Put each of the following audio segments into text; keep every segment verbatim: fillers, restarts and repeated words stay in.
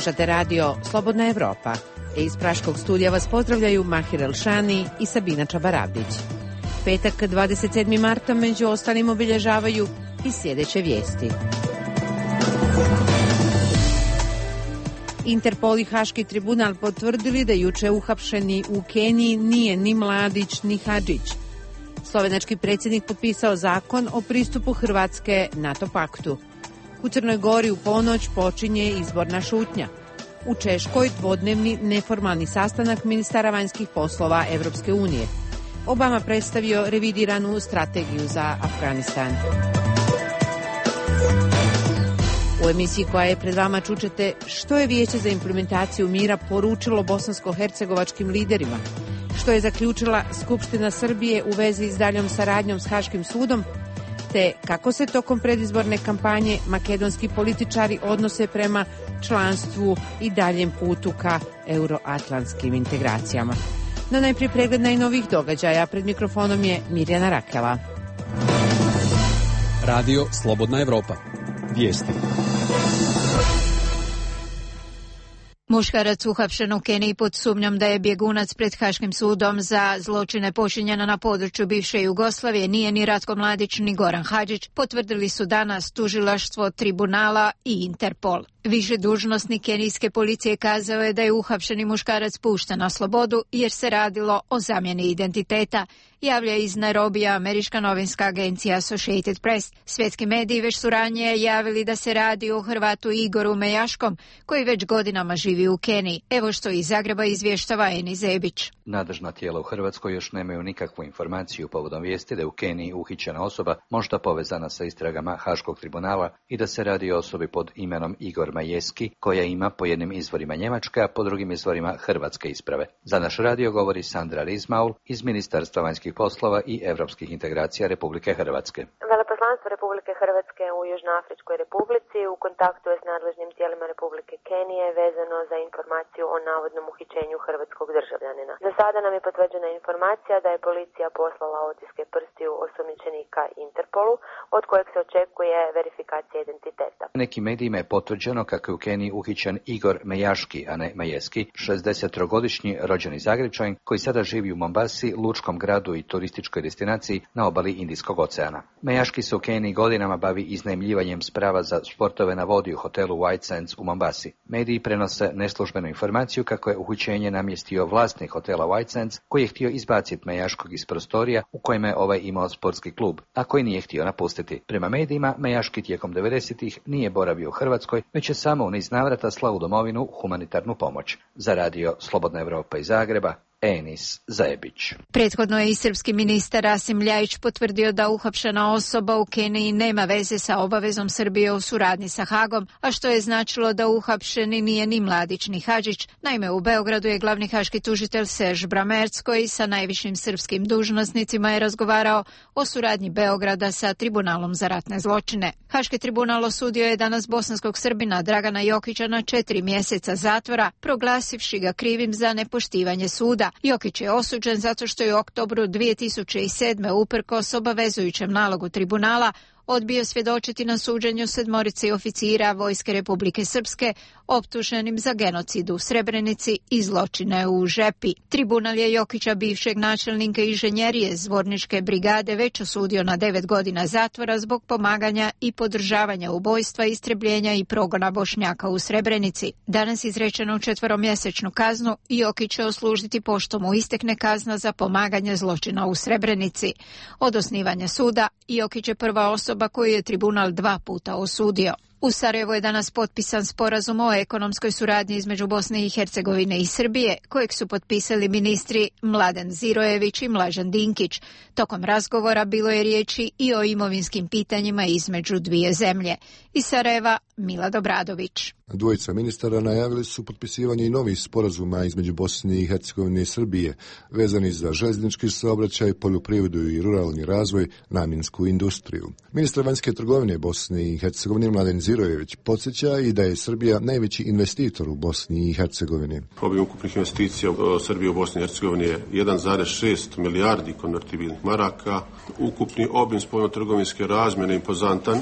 Slušate radio Slobodna Evropa. Iz Praškog studija vas pozdravljaju Mahir Elšani i Sabina Čabarabić. Petak dvadeset sedmog marta među ostalim obilježavaju i sljedeće vijesti. Interpol i Haški tribunal potvrdili da juče uhapšeni u Keniji nije ni Mladić ni Hadžić. Slovenački predsjednik potpisao zakon o pristupu Hrvatske NATO paktu. U Crnoj Gori u ponoć počinje izborna šutnja. U Češkoj dvodnevni neformalni sastanak ministara vanjskih poslova Evropske unije. Obama predstavio revidiranu strategiju za Afganistan. U emisiji koja je pred vama čućete što je Vijeće za implementaciju mira poručilo bosansko-hercegovačkim liderima, što je zaključila Skupština Srbije u vezi s daljom saradnjom s Haškim sudom, te kako se tokom predizborne kampanje makedonski političari odnose prema članstvu i daljem putu ka euroatlantskim integracijama. No najprije pregled najnovijih događaja. Pred mikrofonom je Mirjana Rakela. Radio Slobodna Evropa. Vijesti. Muškarac uhapšen u Keniji pod sumnjom da je bjegunac pred Haškim sudom za zločine počinjene na području bivše Jugoslavije nije ni Ratko Mladić ni Goran Hadžić, potvrdili su danas tužilaštvo tribunala i Interpol. Više dužnosnik kenijske policije kazao je da je uhapšeni muškarac pušten na slobodu jer se radilo o zamjeni identiteta, javlja iz Nairobija američka novinska agencija Associated Press. Svjetski mediji već su ranije javili da se radi o Hrvatu Igoru Mejaškom, koji već godinama živi u Keniji. Evo što iz Zagreba izvještava Eni Zebić. Nadležna tijela u Hrvatskoj još nemaju nikakvu informaciju povodom vijesti da je u Keniji uhićena osoba možda povezana sa istragama Haškog tribunala i da se radi o osobi pod imenom Igor Majeski, koja ima po jednim izvorima njemačke, a po drugim izvorima hrvatske isprave. Za naš radio govori Sandra Rizmaul iz Ministarstva vanjskih poslova i europskih integracija Republike Hrvatske. Veleposlanstvo Republike Hrvatske u Južnoafričkoj Republici u kontaktu je s nadležnim tijelima Republike Kenije vezano za informaciju o navodnom uhićenju hrvatskog državljanina. Za sada nam je potvrđena informacija da je policija poslala otiske prstiju osumnjičenika Interpolu, od kojeg se očekuje verifikacija identiteta. Nekim medijima je potvrđeno kako je u Keniji uhićen Igor Mejaški, a ne Majeski, šezdesettrogodišnji rođeni Zagrepčanin koji sada živi u Mombasi, lučkom gradu i turističkoj destinaciji na obali Indijskog oceana. Mejaški se u Keniji godinama bavi iznajmljivanjem sprava za sportove na vodi u hotelu White Sands u Mombasi. Mediji prenose neslužbenu informaciju kako je uhićenje namjestio vlasnik hotela White Sands, koji je htio izbaciti Mejaškog iz prostorija u kojima je ovaj imao sportski klub, a koji nije htio napustiti. Prema medijima, Mejaški tijekom devedesetih nije boravio u Hrvatskoj, već je samo u niz navrata slao u domovinu humanitarnu pomoć. Za radio Slobodna Evropa iz Zagreba, Enis Zajebić. Prethodno je i srpski ministar Rasim Ljajić potvrdio da uhapšena osoba u Keniji nema veze sa obavezom Srbije u suradnji sa Hagom, a što je značilo da uhapšeni nije ni Mladić ni Hadžić. Naime, u Beogradu je glavni haški tužitelj Serž Bramerc, koji sa najvišim srpskim dužnosnicima je razgovarao o suradnji Beograda sa tribunalom za ratne zločine. Haški tribunal osudio je danas bosanskog Srbina Dragana Jokića na četiri mjeseca zatvora, proglasivši ga krivim za nepoštivanje suda. Jokić je osuđen zato što je u oktobru dvije tisuće sedme uprkos obavezujućem nalogu tribunala odbio svjedočiti na suđenju sedmorice oficira Vojske Republike Srpske optuženim za genocid u Srebrenici i zločine u Žepi. Tribunal je Jokića, bivšeg načelnika inženjerije Zvorničke brigade, već osudio na devet godina zatvora zbog pomaganja i podržavanja ubojstva, istrebljenja i progona Bošnjaka u Srebrenici. Danas izrečeno četveromjesečnu kaznu i Jokić će oslužiti pošto mu istekne kazna za pomaganje zločina u Srebrenici. Od osnivanja suda Jokić je prva osoba koju je tribunal dva puta osudio. U Sarajevu je danas potpisan sporazum o ekonomskoj suradnji između Bosne i Hercegovine i Srbije, kojeg su potpisali ministri Mladen Zirojević i Mlađan Dinkić. Tokom razgovora bilo je riječi i o imovinskim pitanjima između dvije zemlje. Iz Sarajeva, Mila Dobradović. Dvojica ministara najavili su potpisivanje i novih sporazuma između Bosne i Hercegovine i Srbije, vezani za željeznički saobraćaj, poljoprivredu i ruralni razvoj, namjensku industriju. Ministar vanjske trgovine Bosne i Hercegovine Mladen Zirojević podsjeća i da je Srbija najveći investitor u Bosni i Hercegovini. Obim ukupnih investicija u Srbiji u Bosni i Hercegovini je jedan zarez šest milijardi konvertibilnih maraka. Ukupni obim spoljno-trgovinske razmjene impozantan,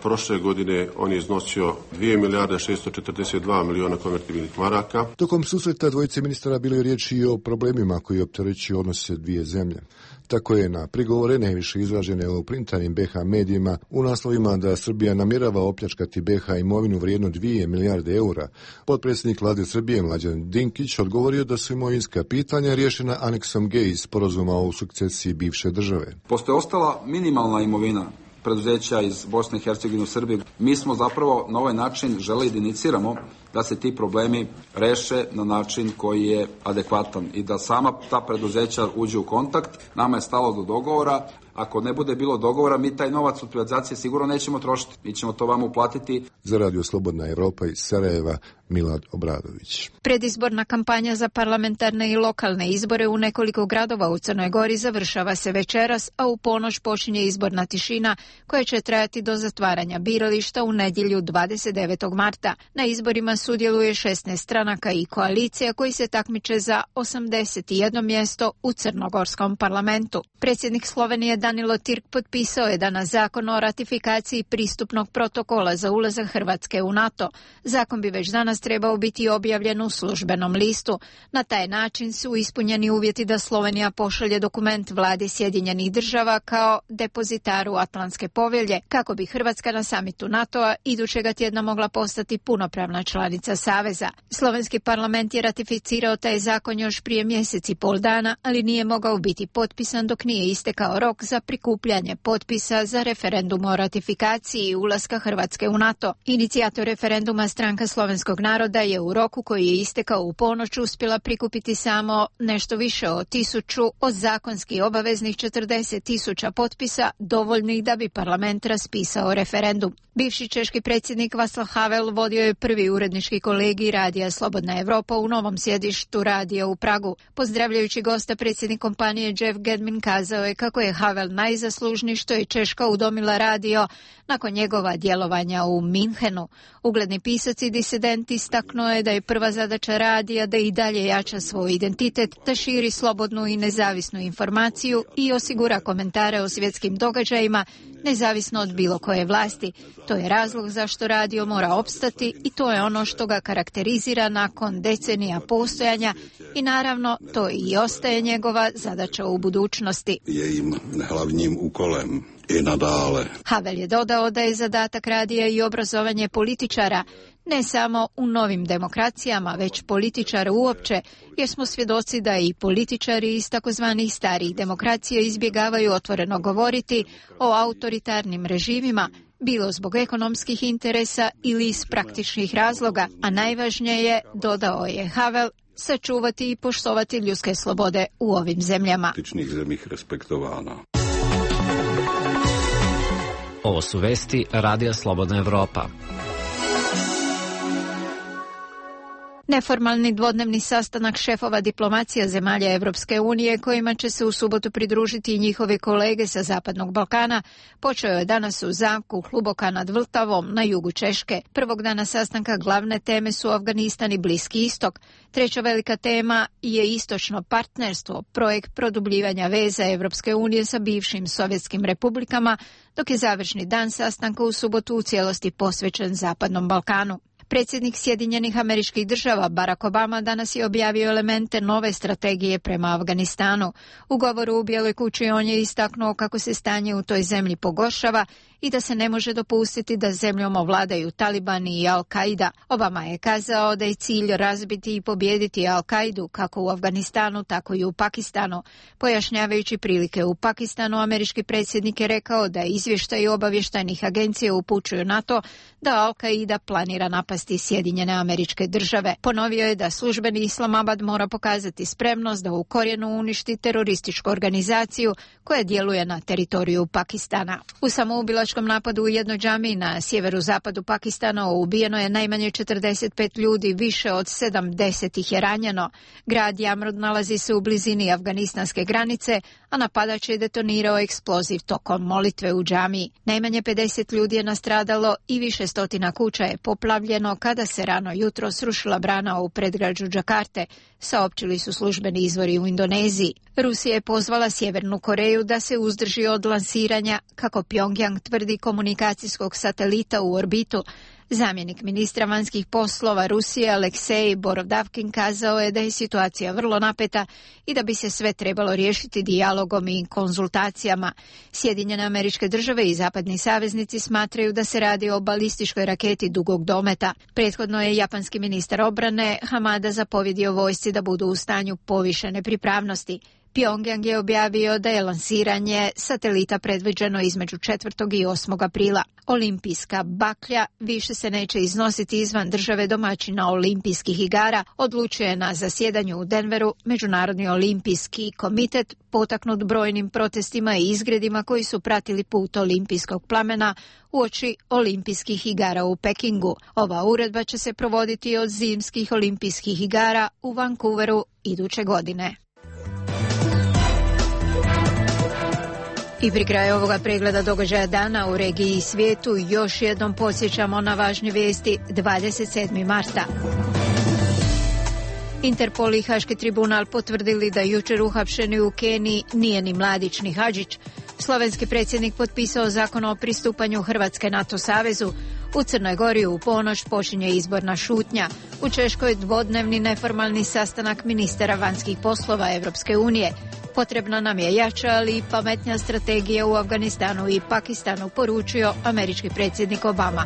Prošle godine on je iznosio dvije milijarde šesto četrdeset dva miliona konvertibilnih maraka. Tokom susreta dvojice ministara bilo je riječi i o problemima koji opterećuju odnose dvije zemlje. Tako je na prigovore najviše izražene u printanim B H medijima u naslovima da Srbija namjerava opljačkati B H imovinu vrijednu dvije milijarde eura. Potpredsjednik vlade Srbije Mlađan Dinkić odgovorio da su imovinska pitanja riješena aneksom G iz sporazuma o sukcesiji bivše države. Postoje ostala minimalna imovina preduzeća iz Bosne i Hercegovine u Srbiji. Mi smo zapravo na ovaj način želeli da iniciramo da se ti problemi reše na način koji je adekvatan i da sama ta preduzeća uđe u kontakt. Nama je stalo do dogovora. Ako ne bude bilo dogovora, mi taj novac od privatizacije sigurno nećemo trošiti. Mi ćemo to vama uplatiti. Za Radio Slobodna Evropa iz Sarajeva, Milad Obradović. Predizborna kampanja za parlamentarne i lokalne izbore u nekoliko gradova u Crnoj Gori završava se večeras, a u ponoć počinje izborna tišina koja će trajati do zatvaranja birališta u nedjelju dvadeset devetog marta. Na izborima sudjeluje šesnaest stranaka i koalicija koji se takmiče za osamdeset jedno mjesto u crnogorskom parlamentu. Predsjednik Slovenije Danilo Tirk potpisao je danas zakon o ratifikaciji pristupnog protokola za ulazak Hrvatske u NATO. Zakon bi već danas trebao biti objavljen u službenom listu. Na taj način su ispunjeni uvjeti da Slovenija pošalje dokument vladi Sjedinjenih država kao depozitaru Atlantske povelje, kako bi Hrvatska na samitu NATO-a idućega tjedna mogla postati punopravna članica Saveza. Slovenski parlament je ratificirao taj zakon još prije mjesec i pol dana, ali nije mogao biti potpisan dok nije istekao rok za prikupljanje potpisa za referendum o ratifikaciji ulaska Hrvatske u NATO. Inicijator referenduma Stranka slovenskog naroda je u roku koji je istekao u ponoć uspjela prikupiti samo nešto više od tisuću od zakonski obaveznih četrdeset tisuća potpisa dovoljnih da bi parlament raspisao referendum. Bivši češki predsjednik Václav Havel vodio je prvi urednički kolegij Radija Slobodna Evropa u novom sjedištu radija u Pragu. Pozdravljajući gosta, predsjednik kompanije Jeff Gedmin kazao je kako je Havel najzaslužniji što je Češka udomila radio nakon njegova djelovanja u Minhenu. Ugledni pisac i disident istaknuo je da je prva zadaća radija da i dalje jača svoj identitet, da širi slobodnu i nezavisnu informaciju i osigura komentare o svjetskim događajima nezavisno od bilo koje vlasti. To je razlog zašto radio mora opstati i to je ono što ga karakterizira nakon decenija postojanja i naravno to i ostaje njegova zadaća u budućnosti. Jejím hlavním úkolem i nadále. Havel je dodao da je zadatak radija i obrazovanje političara, ne samo u novim demokracijama, već političara uopće, jer smo svjedoci da i političari iz takozvanih starijih demokracija izbjegavaju otvoreno govoriti o autoritarnim režimima, bilo zbog ekonomskih interesa ili iz praktičnih razloga, a najvažnije je, dodao je Havel, sačuvati i poštovati ljudske slobode u ovim zemljama. Zemljih respektovana. Ovo su vesti Radija Slobodna Evropa. Neformalni dvodnevni sastanak šefova diplomacija zemalja Evropske unije, kojima će se u subotu pridružiti i njihovi kolege sa Zapadnog Balkana, počeo je danas u zamku Hluboka nad Vltavom na jugu Češke. Prvog dana sastanka glavne teme su Afganistan i Bliski istok. Treća velika tema je istočno partnerstvo, projekt produbljivanja veza Evropske unije sa bivšim sovjetskim republikama, dok je završni dan sastanka u subotu u cijelosti posvećen Zapadnom Balkanu. Predsjednik Sjedinjenih Američkih Država Barack Obama danas je objavio elemente nove strategije prema Afganistanu. U govoru u Bijeloj kući on je istaknuo kako se stanje u toj zemlji pogoršava i da se ne može dopustiti da zemljom ovladaju Talibani i Al-Qaida. Obama je kazao da je cilj razbiti i pobijediti Al-Qaidu kako u Afganistanu, tako i u Pakistanu. Pojašnjavajući prilike u Pakistanu, američki predsjednik je rekao da izvještaji obavještajnih agencija upućuju na to da Al-Qaida planira napasti Sjedinjene Američke Države. Ponovio je da službeni Islamabad mora pokazati spremnost da u korijenu uništi terorističku organizaciju koja djeluje na teritoriju Pakistana. U samoubilačkom napadu u jednoj džamiji na sjeveru-zapadu Pakistana ubijeno je najmanje četrdeset pet ljudi, više od sedamdeset ih je ranjeno. Grad Jamrud nalazi se u blizini afganistanske granice, a napadač je detonirao eksploziv tokom molitve u džamiji. Najmanje pedeset ljudi je nastradalo i više stotina kuća je poplavljeno kada se rano jutro srušila brana u predgrađu Džakarte, saopćili su službeni izvori u Indoneziji. Rusija je pozvala Sjevernu Koreju da se uzdrži od lansiranja, kako Pjongjang tvrdi, komunikacijskog satelita u orbitu. Zamjenik ministra vanjskih poslova Rusije Aleksej Borodavkin kazao je da je situacija vrlo napeta i da bi se sve trebalo riješiti dijalogom i konzultacijama. Sjedinjene Američke Države i zapadni saveznici smatraju da se radi o balističkoj raketi dugog dometa. Prethodno je japanski ministar obrane Hamada zapovjedio vojsci da budu u stanju povišene pripravnosti. Pjongjang je objavio da je lansiranje satelita predviđeno između četvrtog i osmog aprila. Olimpijska baklja više se neće iznositi izvan države domaćina olimpijskih igara, odlučuje na zasjedanju u Denveru Međunarodni olimpijski komitet, potaknut brojnim protestima i izgredima koji su pratili put olimpijskog plamena uoči olimpijskih igara u Pekingu. Ova uredba će se provoditi od zimskih olimpijskih igara u Vancouveru iduće godine. I pri kraju ovoga pregleda događaja dana u regiji i svijetu još jednom podsjećamo na važne vijesti dvadeset sedmog marta. Interpol i Haški tribunal potvrdili da jučer uhapšeni u Keniji nije ni mladić ni Hadžić. Slovenski predsjednik potpisao zakon o pristupanju Hrvatske NATO savezu. U Crnoj Gori u ponoć počinje izborna šutnja. U Češkoj dvodnevni neformalni sastanak ministara vanjskih poslova Europske unije. Potrebna nam je jača, ali i pametnija strategija u Afganistanu i Pakistanu, poručio američki predsjednik Obama.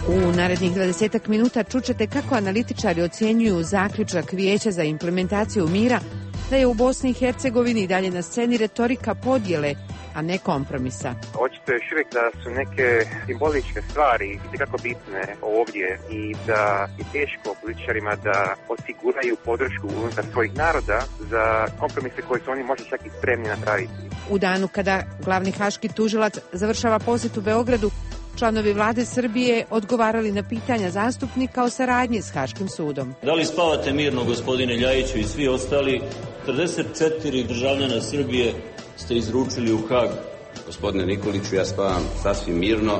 U narednih dvadesetak minuta čućete kako analitičari ocjenjuju zaključak Vijeća za implementaciju mira da je u Bosni i Hercegovini i dalje na sceni retorika podjele, a ne kompromisa. Očito je još uvijek da su neke simboličke stvari itekako bitne ovdje i da je teško političarima da osiguraju podršku unutar svojih naroda za kompromise koje su oni možda čak i spremni napraviti. U danu kada glavni haški tužilac završava posjet u Beogradu, članovi vlade Srbije odgovarali na pitanja zastupnika o saradnji s Haškim sudom. Da li spavate mirno, gospodine Ljajiću i svi ostali? trideset četiri državljana Srbije ste izručili u Hag. Gospodine Nikoliću, ja spavam sasvim mirno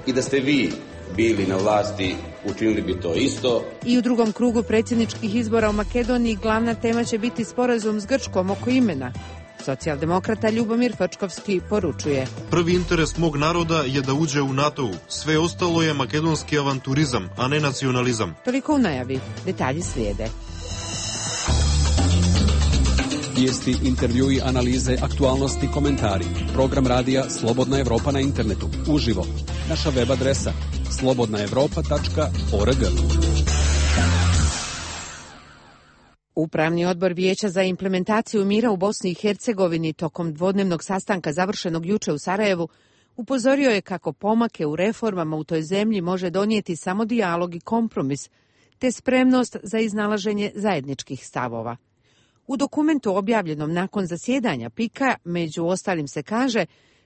i da ste vi bili na vlasti, učinili bi to isto. I u drugom krugu predsjedničkih izbora u Makedoniji glavna tema će biti sporazum s Grčkom oko imena. Socijaldemokrata Ljubomir Frčkovski poručuje: Prvi interes mog naroda je da uđe u NATO. Sve ostalo je makedonski avanturizam, a ne nacionalizam. Toliko u najavi. Detalji slijede. Vijesti, intervjui, analize, aktualnosti, komentari. Program radija Slobodna Evropa na internetu. Uživo. Naša web adresa slobodna evropa tačka org. Upravni odbor Vijeća za implementaciju mira u Bosni i Hercegovini tokom dvodnevnog sastanka završenog juče u Sarajevu upozorio je kako pomake u reformama u toj zemlji može donijeti samo dijalog i kompromis, te spremnost za iznalaženje zajedničkih stavova. U dokumentu objavljenom nakon zasjedanja Pika, među ostalim se kaže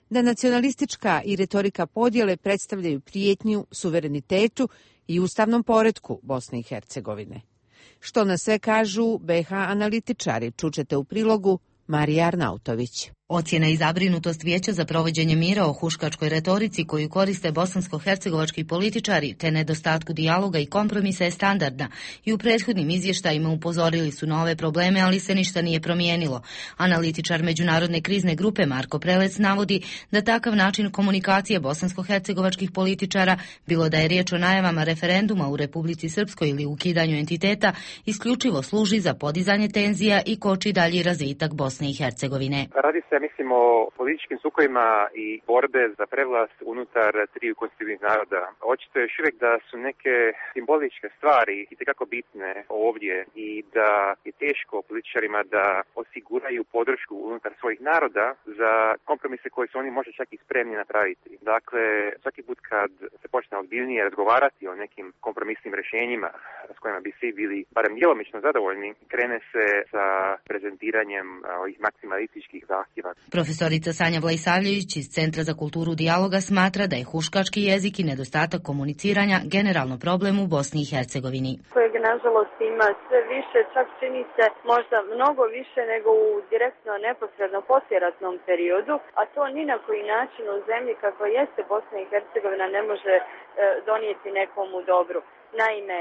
da nacionalistička i retorika podjele predstavljaju prijetnju suverenitetu i ustavnom poretku Bosne i Hercegovine. Što na sve kažu be ha analitičari, čućete u prilogu Marija Arnautović. Ocjena i zabrinutost Vijeća za provođenje mira o huškačkoj retorici koju koriste bosansko-hercegovački političari te nedostatku dijaloga i kompromisa je standardna i u prethodnim izvještajima upozorili su na ove probleme, ali se ništa nije promijenilo. Analitičar Međunarodne krizne grupe Marko Prelec navodi da takav način komunikacije bosansko-hercegovačkih političara, bilo da je riječ o najavama referenduma u Republici Srpskoj ili ukidanju entiteta, isključivo služi za podizanje tenzija i koči dalji razvitak Bosne i Hercegovine. Radi se, mislim, o političkim sukojima i borbe za prevlast unutar triju konstitutivnih naroda. Očito je još uvijek da su neke simboličke stvari itekako bitne ovdje i da je teško političarima da osiguraju podršku unutar svojih naroda za kompromise koje su oni možda čak i spremni napraviti. Dakle, svaki put kad se počne ozbiljnije razgovarati o nekim kompromisnim rješenjima s kojima bi svi bili barem djelomično zadovoljni, krene se sa prezentiranjem ovih maksimalističkih zahtjeva. Profesorica Sanja Vlajsavljević iz Centra za kulturu dijaloga smatra da je huškački jezik i nedostatak komuniciranja generalno problem u Bosni i Hercegovini. Kojeg nažalost ima sve više, čak čini se možda mnogo više nego u direktno neposredno poslijeratnom periodu, a to ni na koji način u zemlji kako jeste Bosna i Hercegovina ne može e, donijeti nekomu dobru. Naime,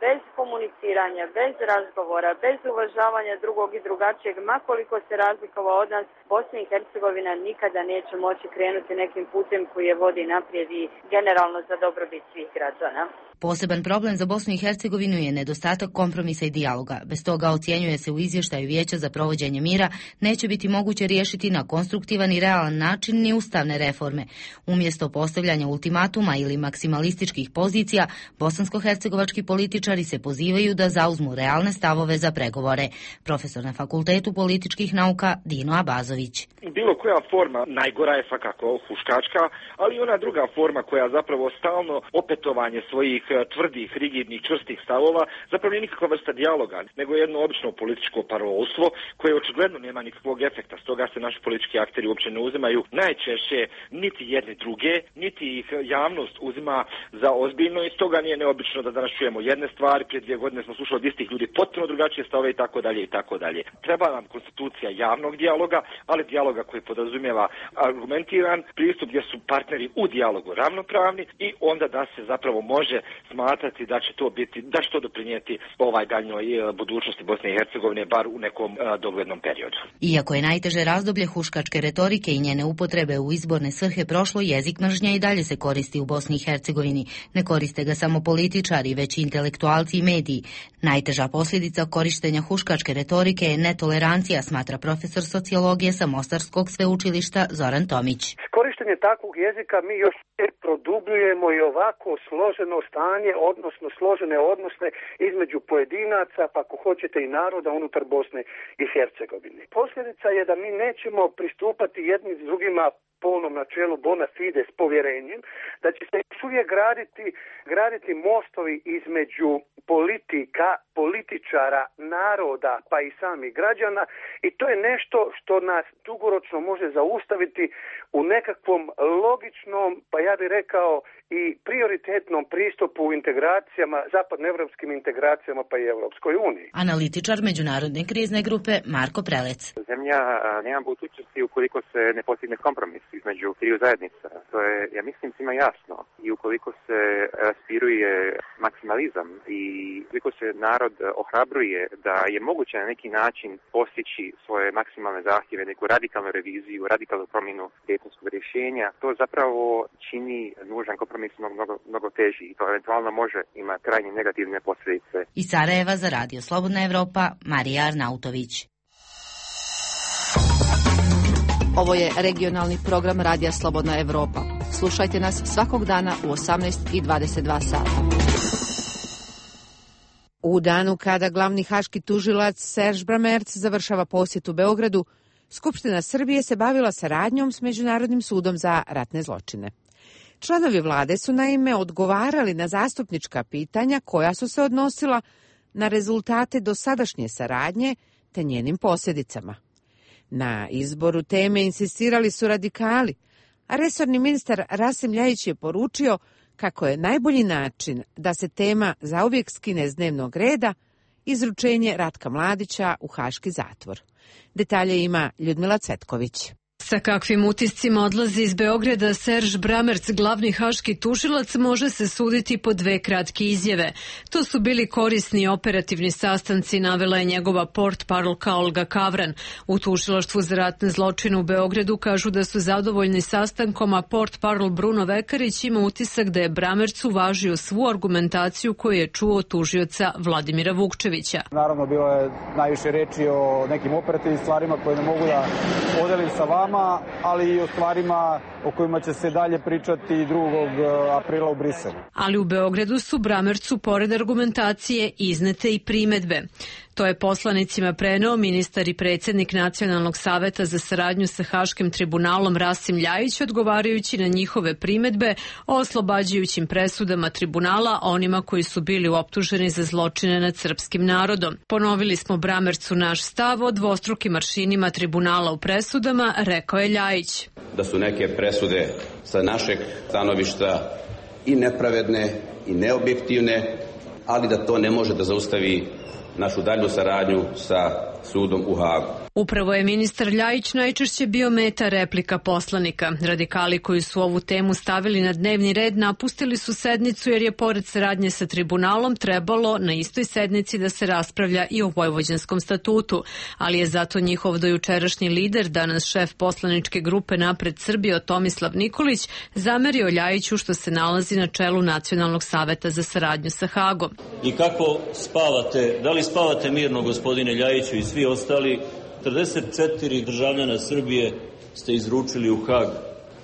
bez komuniciranja, bez razgovora, bez uvažavanja drugog i drugačijeg, makoliko se razlikovao od nas, Bosna i Hercegovina nikada neće moći krenuti nekim putem koji je vodi naprijed i generalno za dobrobit svih građana. Poseban problem za Bosnu i Hercegovinu je nedostatak kompromisa i dijaloga. Bez toga, ocjenjuje se u izvještaju Vijeća za provođenje mira, neće biti moguće riješiti na konstruktivan i realan način ni ustavne reforme. Umjesto postavljanja ultimatuma ili maksimalističkih pozicija, bosansko-hercegovački političari se pozivaju da zauzmu realne stavove za pregovore. Profesor na Fakultetu političkih nauka Dino Abazović. Bilo koja forma, najgora je svakako huškačka, ali i ona druga forma koja zapravo stalno opetovanje svojih tvrdih, rigidnih, čvrstih stavova, zapravo nije nikakva vrsta dijaloga, nego jedno obično političko parolstvo koje očigledno nema nikakvog efekta. Stoga se naši politički akteri uopće ne uzimaju najčešće niti jedne druge, niti ih javnost uzima za ozbiljno i stoga nije neobično da danas čujemo jedne stvari, prije dvije godine smo slušali od istih ljudi potpuno drugačije stavove i tako dalje i tako dalje. Treba nam konstitucija javnog dijaloga, ali dijaloga koji podrazumijeva argumentiran pristup gdje su partneri u dijalogu ravnopravni i onda da se zapravo može smatrati da će to biti, da će to doprinijeti ovaj daljnjoj budućnosti Bosne i Hercegovine, bar u nekom doglednom periodu. Iako je najteže razdoblje huškačke retorike i njene upotrebe u izborne svrhe prošlo, jezik mržnje i dalje se koristi u Bosni i Hercegovini. Ne koriste ga samo političari, već i intelektualci i mediji. Najteža posljedica korištenja huškačke retorike je netolerancija, smatra profesor sociologije sa Mostarskog sveučilišta Zoran Tomić. Korištenje takvog jezika mi još produbljujemo i ovako složeno stanje, odnosno složene odnose između pojedinaca, pa ako hoćete i naroda unutar Bosne i Hercegovine. Posljedica je da mi nećemo pristupati jedni s drugima polnom načelu bona fide s povjerenjem, da će se još uvijek graditi, graditi mostovi između politika, političara, naroda, pa i samih građana i to je nešto što nas dugoročno može zaustaviti u nekakvom logičnom, pa ja bih rekao i prioritetnom pristupu u integracijama, zapadnoevropskim integracijama pa i Europskoj uniji. Analitičar međunarodne krizne grupe Marko Prelec. Zemlja nema budućnosti ukoliko se ne postigne kompromis između triju zajednica. To je, ja mislim, svima jasno. I ukoliko se raspiruje maksimalizam i ukoliko se narod ohrabruje da je moguće na neki način postići svoje maksimalne zahtjeve, neku radikalnu reviziju, radikalnu promjenu dejtonskog rješenja, to zapravo čini nužan kompromis mnogo, mnogo teži i to eventualno može imati krajnje negativne posljedice. Iz Sarajeva za Radio Slobodna Evropa, Marija Arnautović. Ovo je regionalni program Radija Slobodna Evropa. Slušajte nas svakog dana u osamnaest i dvadeset dva sata. U danu kada glavni haški tužilac Serž Bramerc završava posjet u Beogradu, Skupština Srbije se bavila saradnjom s Međunarodnim sudom za ratne zločine. Članovi vlade su naime odgovarali na zastupnička pitanja koja su se odnosila na rezultate dosadašnje saradnje te njenim posljedicama. Na izboru teme insistirali su radikali, a resorni ministar Rasim Ljajić je poručio kako je najbolji način da se tema zauvijek skine s dnevnog reda izručenje Ratka Mladića u haški zatvor. Detalje ima Ljudmila Cvetković. Sa kakvim utiscima odlazi iz Beograda Serž Bramerc, glavni haški tužilac, može se suditi po dve kratke izjave. To su bili korisni operativni sastanci, navela je njegova portparolka Olga Kavran. U tužilaštvu za ratne zločine u Beogradu kažu da su zadovoljni sastankom, a portparol Bruno Vekarić ima utisak da je Bramerc uvažio svu argumentaciju koju je čuo od tužioca Vladimira Vukčevića. Naravno, bilo je najviše reči o nekim operativnim stvarima koje ne mogu da podelim sa vama, ali i o stvarima o kojima će se dalje pričati drugog aprila u Briselu. Ali u Beogradu su Bramercu, pored argumentacije, iznete i primedbe. To je poslanicima preneo ministar i predsjednik Nacionalnog saveta za saradnju sa Haškim tribunalom Rasim Ljajić, odgovarajući na njihove primedbe o oslobađajućim presudama tribunala onima koji su bili optuženi za zločine nad srpskim narodom. Ponovili smo Bramercu naš stav o dvostrukim aršinima tribunala u presudama, rekao je Ljajić. Da su neke presude sa našeg stanovišta i nepravedne i neobjektivne, ali da to ne može da zaustavi našu dalju saradnju sa sudom u Hagu. Upravo je ministar Ljajić najčešće bio meta replika poslanika. Radikali koji su ovu temu stavili na dnevni red napustili su sednicu jer je pored saradnje sa tribunalom trebalo na istoj sednici da se raspravlja i o Vojvođanskom statutu, ali je zato njihov dojučerašnji lider, danas šef poslaničke grupe Napred Srbije Tomislav Nikolić, zamerio Ljajiću što se nalazi na čelu Nacionalnog saveta za saradnju sa Hagom. I kako spavate, da li spavate mirno, gospodine Ljajiću i svi ostali? četrdeset četiri državljana Srbije ste izručili u Hag.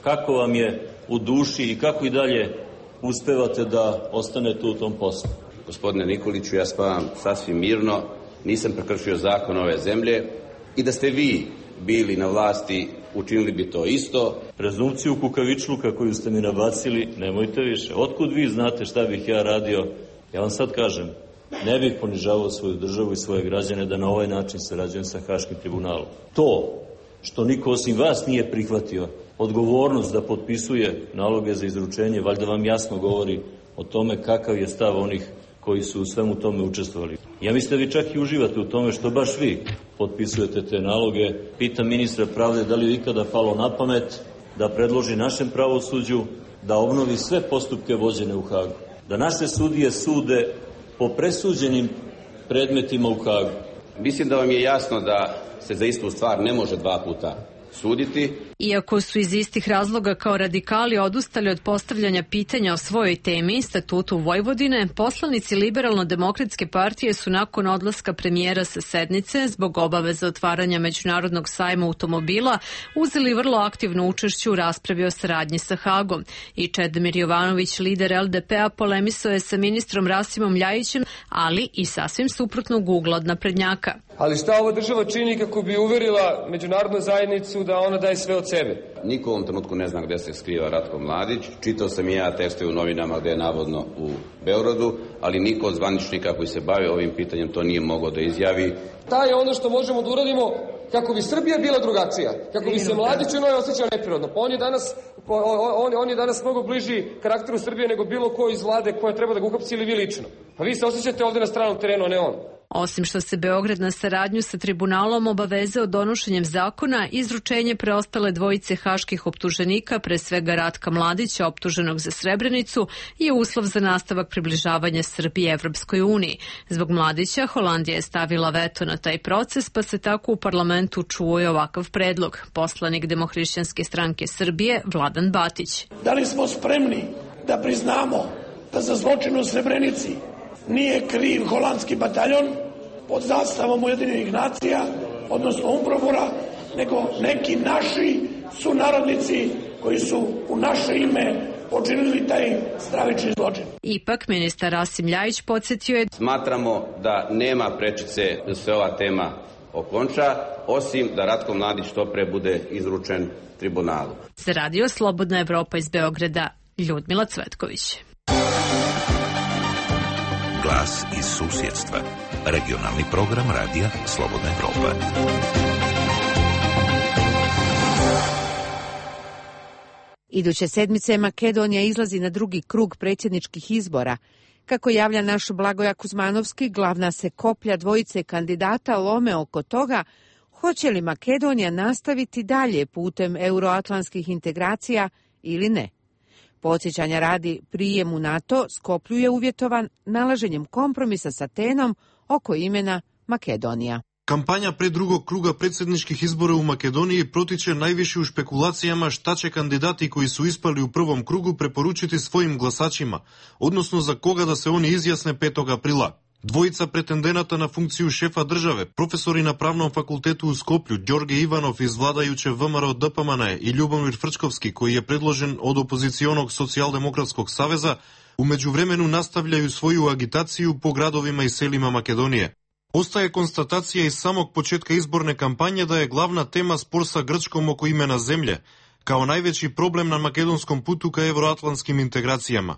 Kako vam je u duši i kako i dalje uspevate da ostanete u tom poslu? Gospodine Nikoliću, ja spavam sasvim mirno, nisam prekršio zakon ove zemlje i da ste vi bili na vlasti, učinili bi to isto. Prezumciju kukavičluka koju ste mi nabacili, nemojte više. Otkud vi znate šta bih ja radio? Ja vam sad kažem, ne bih ponižavao svoju državu i svoje građane da na ovaj način sarađujem sa Haškim tribunalom. To što niko osim vas nije prihvatio odgovornost da potpisuje naloge za izručenje, valjda vam jasno govori o tome kakav je stav onih koji su u svemu tome učestvovali. Ja mislim da vi čak i uživate u tome što baš vi potpisujete te naloge. Pitam ministra pravde da li je ikada palo na pamet da predloži našem pravosuđu da obnovi sve postupke vođene u Hagu. Da naše sudije sude po presuđenim predmetima u Hagu. Mislim da vam je jasno da se za istu stvar ne može dva puta suditi. Iako su iz istih razloga kao radikali odustali od postavljanja pitanja o svojoj temi, statutu Vojvodine, poslanici Liberalno-demokratske partije su nakon odlaska premijera sa sednice zbog obaveza otvaranja Međunarodnog sajma automobila uzeli vrlo aktivno učešće u raspravi o saradnji sa Hagom. I Čedomir Jovanović, lider L D P-a, polemisao je sa ministrom Rasimom Ljajićem, ali i sasvim suprotnog ugla od naprednjaka. Ali šta ova država čini kako bi uverila međunarodnu zajednicu da ona daje sve od sebe? Niko u ovom trenutku ne zna gde se skriva Ratko Mladić. Čitao sam i ja tekste u novinama gde je navodno u Beogradu, ali niko od zvaničnika koji se bave ovim pitanjem to nije mogao da izjavi. Ta je ono što možemo da uradimo kako bi Srbija bila drugačija, kako bi se Mladić u njoj osjećao neprirodno. Pa on je danas, on, on je danas mnogo bliži karakteru Srbije nego bilo ko iz vlade koja treba da ga uhapsi ili vi lično. Pa vi se osjećate ovde na stranom terenu, a ne on. Osim što se Beograd na saradnju sa tribunalom obavezao donošenjem zakona, izručenje preostale dvojice haških optuženika, pre svega Ratka Mladića, optuženog za Srebrenicu, je uslov za nastavak približavanja Srbije Evropskoj uniji. Zbog Mladića, Holandija je stavila veto na taj proces, pa se tako u parlamentu čuo i ovakav predlog. Poslanik Demohrišćanske stranke Srbije, Vladan Batić. Da li smo spremni da priznamo da za zločin u Srebrenici nije kriv holandski bataljon pod zastavom Ujedinjenih nacija, odnosno Umprofora, nego neki naši sunarodnici koji su u naše ime počinili taj stravični zločin. Ipak, ministar Rasim Ljajić podsjetio je... Smatramo da nema prečice da se ova tema okonča, osim da Ratko Mladić što pre bude izručen tribunalu. Za Radio Slobodna Evropa iz Beograda, Ljudmila Cvetković. Glas iz susjedstva. Regionalni program Radija Slobodna Evropa. Iduće sedmice Makedonija izlazi na drugi krug predsjedničkih izbora. Kako javlja naš Blagoja Kuzmanovski, glavna se koplja dvojice kandidata lome oko toga hoće li Makedonija nastaviti dalje putem euroatlantskih integracija ili ne. Podsjećanja radi, prijem u NATO Skoplju je uvjetovan nalaženjem kompromisa s Atenom oko imena Makedonija. Kampanja pre drugog kruga predsjedničkih izbora u Makedoniji protiče najviše u špekulacijama šta će kandidati koji su ispali u prvom krugu preporučiti svojim glasačima, odnosno za koga da se oni izjasne petog aprila. Dvojica pretendenata na funkciju šefa države, profesori na Pravnom fakultetu u Skoplju, Đorge Ivanov iz vladajuće V M R O D P M N E i Ljubomir Frčkovski, koji je predložen od opozicionog socijaldemokratskog saveza, u međuvremenu nastavljaju svoju agitaciju po gradovima i selima Makedonije. Ostaje konstatacija iz samog početka izborne kampanje da je glavna tema spor sa Grčkom oko imena zemlje, kao najveći problem na makedonskom putu ka evroatlantskim integracijama.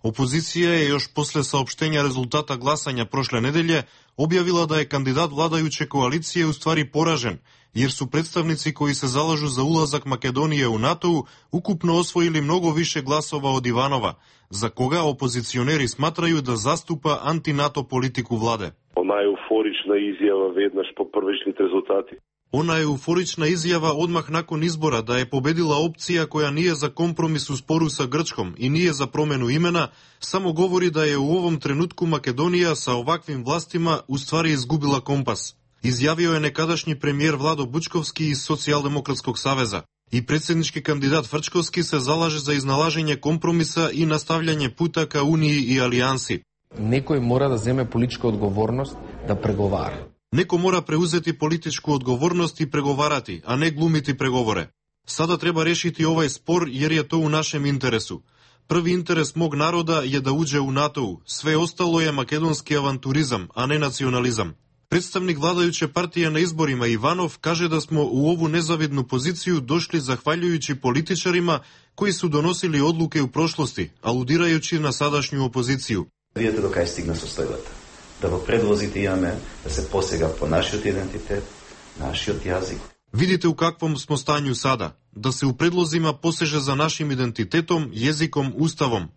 Opozicija je još posle saopštenja rezultata glasanja prošle nedelje objavila da je kandidat vladajuće koalicije u stvari poražen, jer su predstavnici koji se zalažu za ulazak Makedonije u NATO ukupno osvojili mnogo više glasova od Ivanova, за кога опозиционери сматрaju да заступа антинато политику владе. Она еуфорична изјава веднаш по првичните резултати. Она еуфорична изјава одмах након избора да е победила опција која nije за компромис у спору са Грчком и nije за промену имена, само говори да е у овом тренутку Македонија са оваквим властима уствари изгубила компас. Изјавио е некадашни премиер Владо Бучковски из Социјалдемократскog савеза. И председнички кандидат Фрчковски се залаже за изналажење компромиса и настављање пута ка унии и алијанси. Некој мора да земе политичка одговорност да преговара. Некој мора преузети политичку одговорност и преговарати, а не глумити преговоре. Сада треба решити овај спор, јер е то у нашем интересу. Први интерес мог народа е да уđe у НАТО, све остало е македонски авантуризам, а не национализам. Представник владајуче партија на изборима Иванов каже да смо у ову незавидну позицију дошли захвалјујучи политичарима кои су доносили одлуке у прошлости, алудирајучи на садашњу опозицију. Видете до кај стигна состојбата. Да во предлозите имаме да се посега по нашиот идентитет, нашиот јазик. Видите у каквом смо стању сада. Да се у предлозима посеже за нашим идентитетом, језиком, уставом.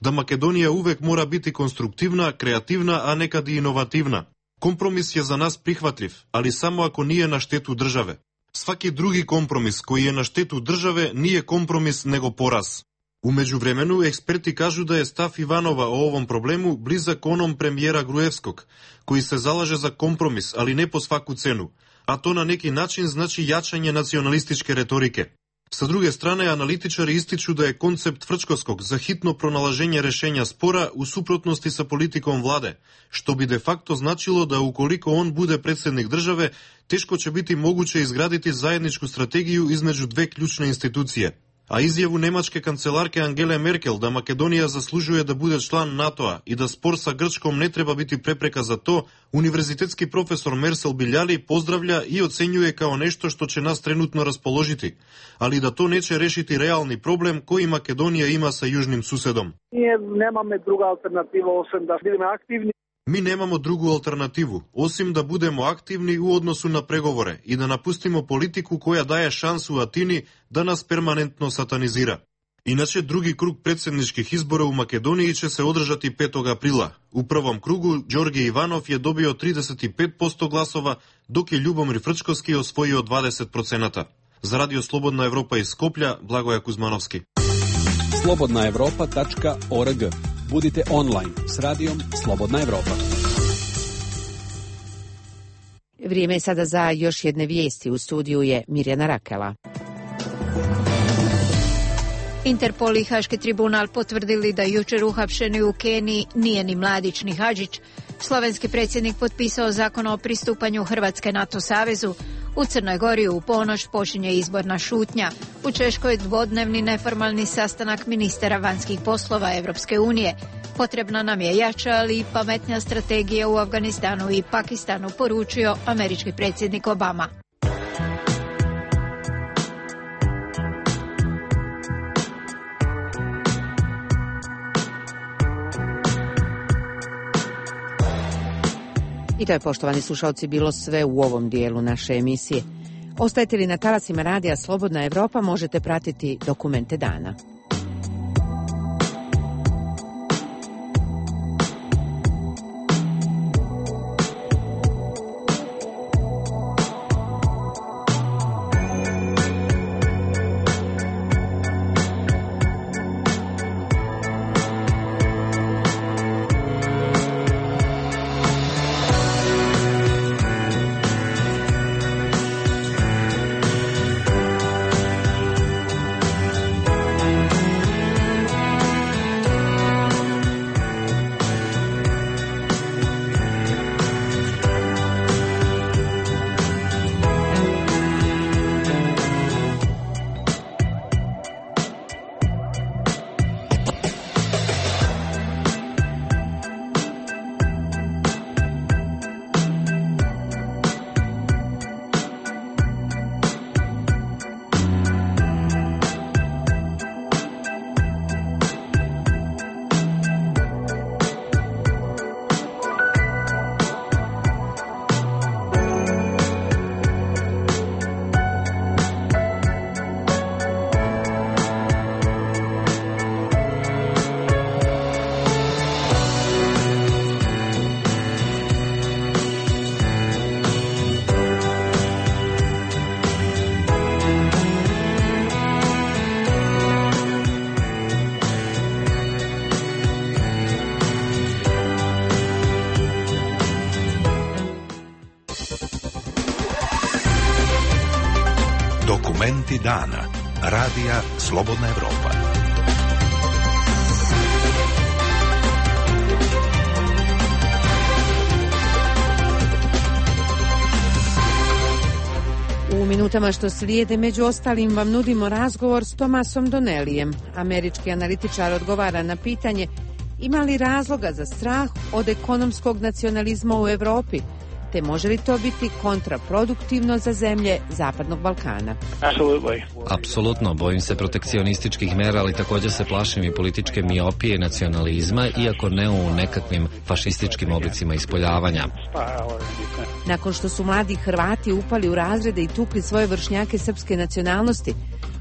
Да Македонија увек мора бити конструктивна, креативна, а некаде иновативна. Компромис е за нас прихватлив, али само ако ние на штету државе. Сваки други компромис кој е на штету државе nije компромис него пораз. У меѓувремену, експерти кажу да е став Иванова о овом проблему близак оном премиера Груевскog, кој се залаже за компромис, али не по сваку цену, а то на неки начин значи јачање националистичке реторике. Sa druge strane, analitičari ističu da je koncept Frčkovskog za hitno pronalaženje rešenja spora u suprotnosti sa politikom vlade, što bi de facto značilo da ukoliko on bude predsednik države, teško će biti moguće izgraditi zajedničku strategiju između dve ključne institucije. A izjavu nemačke kancelarke Angele Merkel da Makedonija zaslužuje da bude član NATO-a i da spor sa Grčkom ne treba biti prepreka za to, univerzitetski profesor Mersel Biljali pozdravlja i ocenjuje kao nešto što će nas trenutno raspoložiti, ali da to neće rešiti realni problem koji Makedonija ima sa južnim susedom. Ние немаме друга алтернатива освен да бидеме активни. Mi nemamo drugu alternativu, osim da budemo aktivni u odnosu na pregovore i da napustimo politiku koja daje šansu Atini da nas permanentno satanizira. Inače, drugi krug predsjedničkih izbora u Makedoniji će se održati petog aprila. U prvom krugu Đorđe Ivanov je dobio trideset pet posto glasova, dok je Ljubomir Frčkovski osvojio dvadeset procenata. Za Radio Slobodna Evropa iz Skoplja, Blagoja Kuzmanovski. slobodna evropa tačka org. Budite online s radijom Slobodna Evropa. Vrijeme je sada za još jedne vijesti. U studiju je Mirjana Rakela. Interpol i Haški tribunal potvrdili da jučer uhapšeni u Keniji nije ni Mladić ni Hadžić. Slovenski predsjednik potpisao zakon o pristupanju Hrvatske NATO savezu. U Crnoj Gori u ponoć počinje izborna šutnja. U Češkoj dvodnevni neformalni sastanak ministara vanjskih poslova Evropske unije. Potrebna nam je jača, ali i pametnija strategija u Afganistanu i Pakistanu, poručio američki predsjednik Obama. I to je, poštovani slušalci, bilo sve u ovom dijelu naše emisije. Ostajete li na talasima radija Slobodna Evropa, možete pratiti dokumente dana. Dokumenti dana. Radija Slobodna Evropa. U minutama što slijede, među ostalim, vam nudimo razgovor s Tomasom Donnellyem. Američki analitičar odgovara na pitanje ima li razloga za strah od ekonomskog nacionalizma u Evropi, te može li to biti kontraproduktivno za zemlje Zapadnog Balkana? Apsolutno, bojim se protekcionističkih mera, ali također se plašim i političke miopije i nacionalizma, iako ne u nekakvim fašističkim oblicima ispoljavanja. Nakon što su mladi Hrvati upali u razrede i tukli svoje vršnjake srpske nacionalnosti,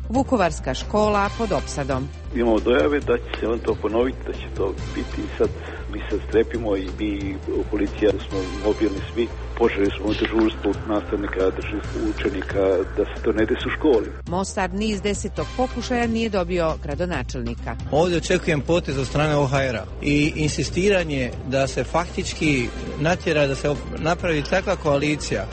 Vukovarska škola pod opsadom. Imamo dojave da će se on to ponoviti, da će to biti i sad mi se strepimo i mi u policiji smo mobilni svi. Počeli smo dežurstvo nastavnika, učenika da se to ne desi u školi. Mostar niz desetog pokušaja nije dobio gradonačelnika. Ovdje očekujem potez od strane O H R-a i insistiranje da se faktički natjera da se napravi takva koalicija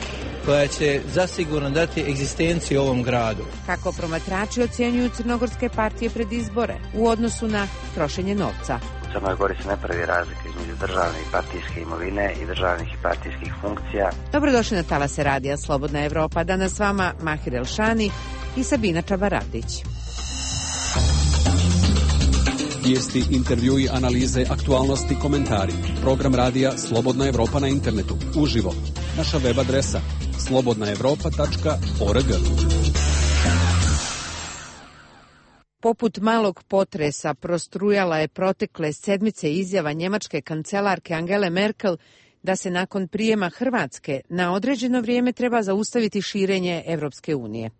koja će zasigurno dati egzistenciju ovom gradu. Kako promatrači ocjenjuju crnogorske partije pred izbore u odnosu na trošenje novca? U Crnoj Gori se ne pravi razlika između državne i partijske imovine i državnih i partijskih funkcija. Dobrodošli na talase radija Slobodna Evropa. Danas s vama Mahir Elšani i Sabina Čabaradić. Vijesti, intervjui, analize, aktualnosti, komentari. Program radija Slobodna Evropa na internetu. Uživo. Naša web adresa slobodna evropa tačka org. Poput malog potresa prostrujala je protekle sedmice izjava njemačke kancelarke Angele Merkel da se nakon prijema Hrvatske na određeno vrijeme treba zaustaviti širenje Evropske unije.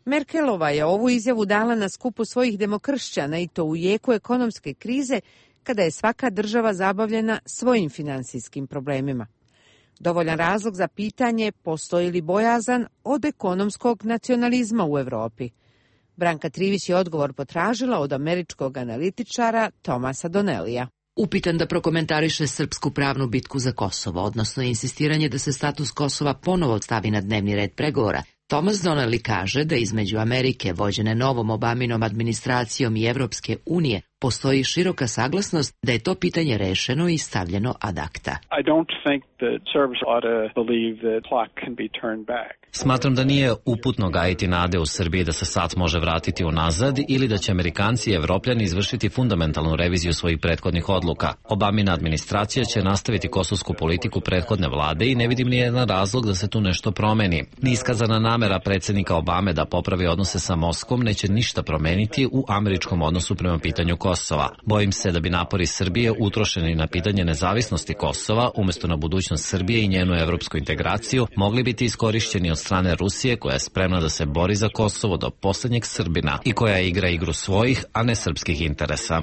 Merkelova je ovu izjavu dala na skupu svojih demokršćana i to u jeku ekonomske krize, kada je svaka država zabavljena svojim finansijskim problemima. Dovoljan razlog za pitanje postoji li bojazan od ekonomskog nacionalizma u Evropi. Branka Trivić je odgovor potražila od američkog analitičara Tomasa Donnellyja. Upitan da prokomentariše srpsku pravnu bitku za Kosovo, odnosno insistiranje da se status Kosova ponovo stavi na dnevni red pregovora, Thomas Donnelly kaže da između Amerike, vođene novom Obaminom administracijom, i Evropske unije postoji široka saglasnost da je to pitanje rešeno i stavljeno ad acta. I don't think that Serbs ought to believe that clock can be turned back. Smatram da nije uputno gajiti nade u Srbiji da se sat može vratiti unazad ili da će Amerikanci i Evropljani izvršiti fundamentalnu reviziju svojih prethodnih odluka. Obamina administracija će nastaviti kosovsku politiku prethodne vlade i ne vidim ni jedan razlog da se tu nešto promeni. Niskazana namera predsjednika Obame da popravi odnose sa Moskvom neće ništa promeniti u američkom odnosu prema pitanju Kosova. Bojim se da bi napori Srbije utrošeni na pitanje nezavisnosti Kosova umjesto na budućnost Srbije i njenu evropsku integraciju mogli biti iskorišćeni od strane Rusije, koja je spremna da se bori za Kosovo do posljednjeg Srbina i koja igra igru svojih, a ne srpskih interesa.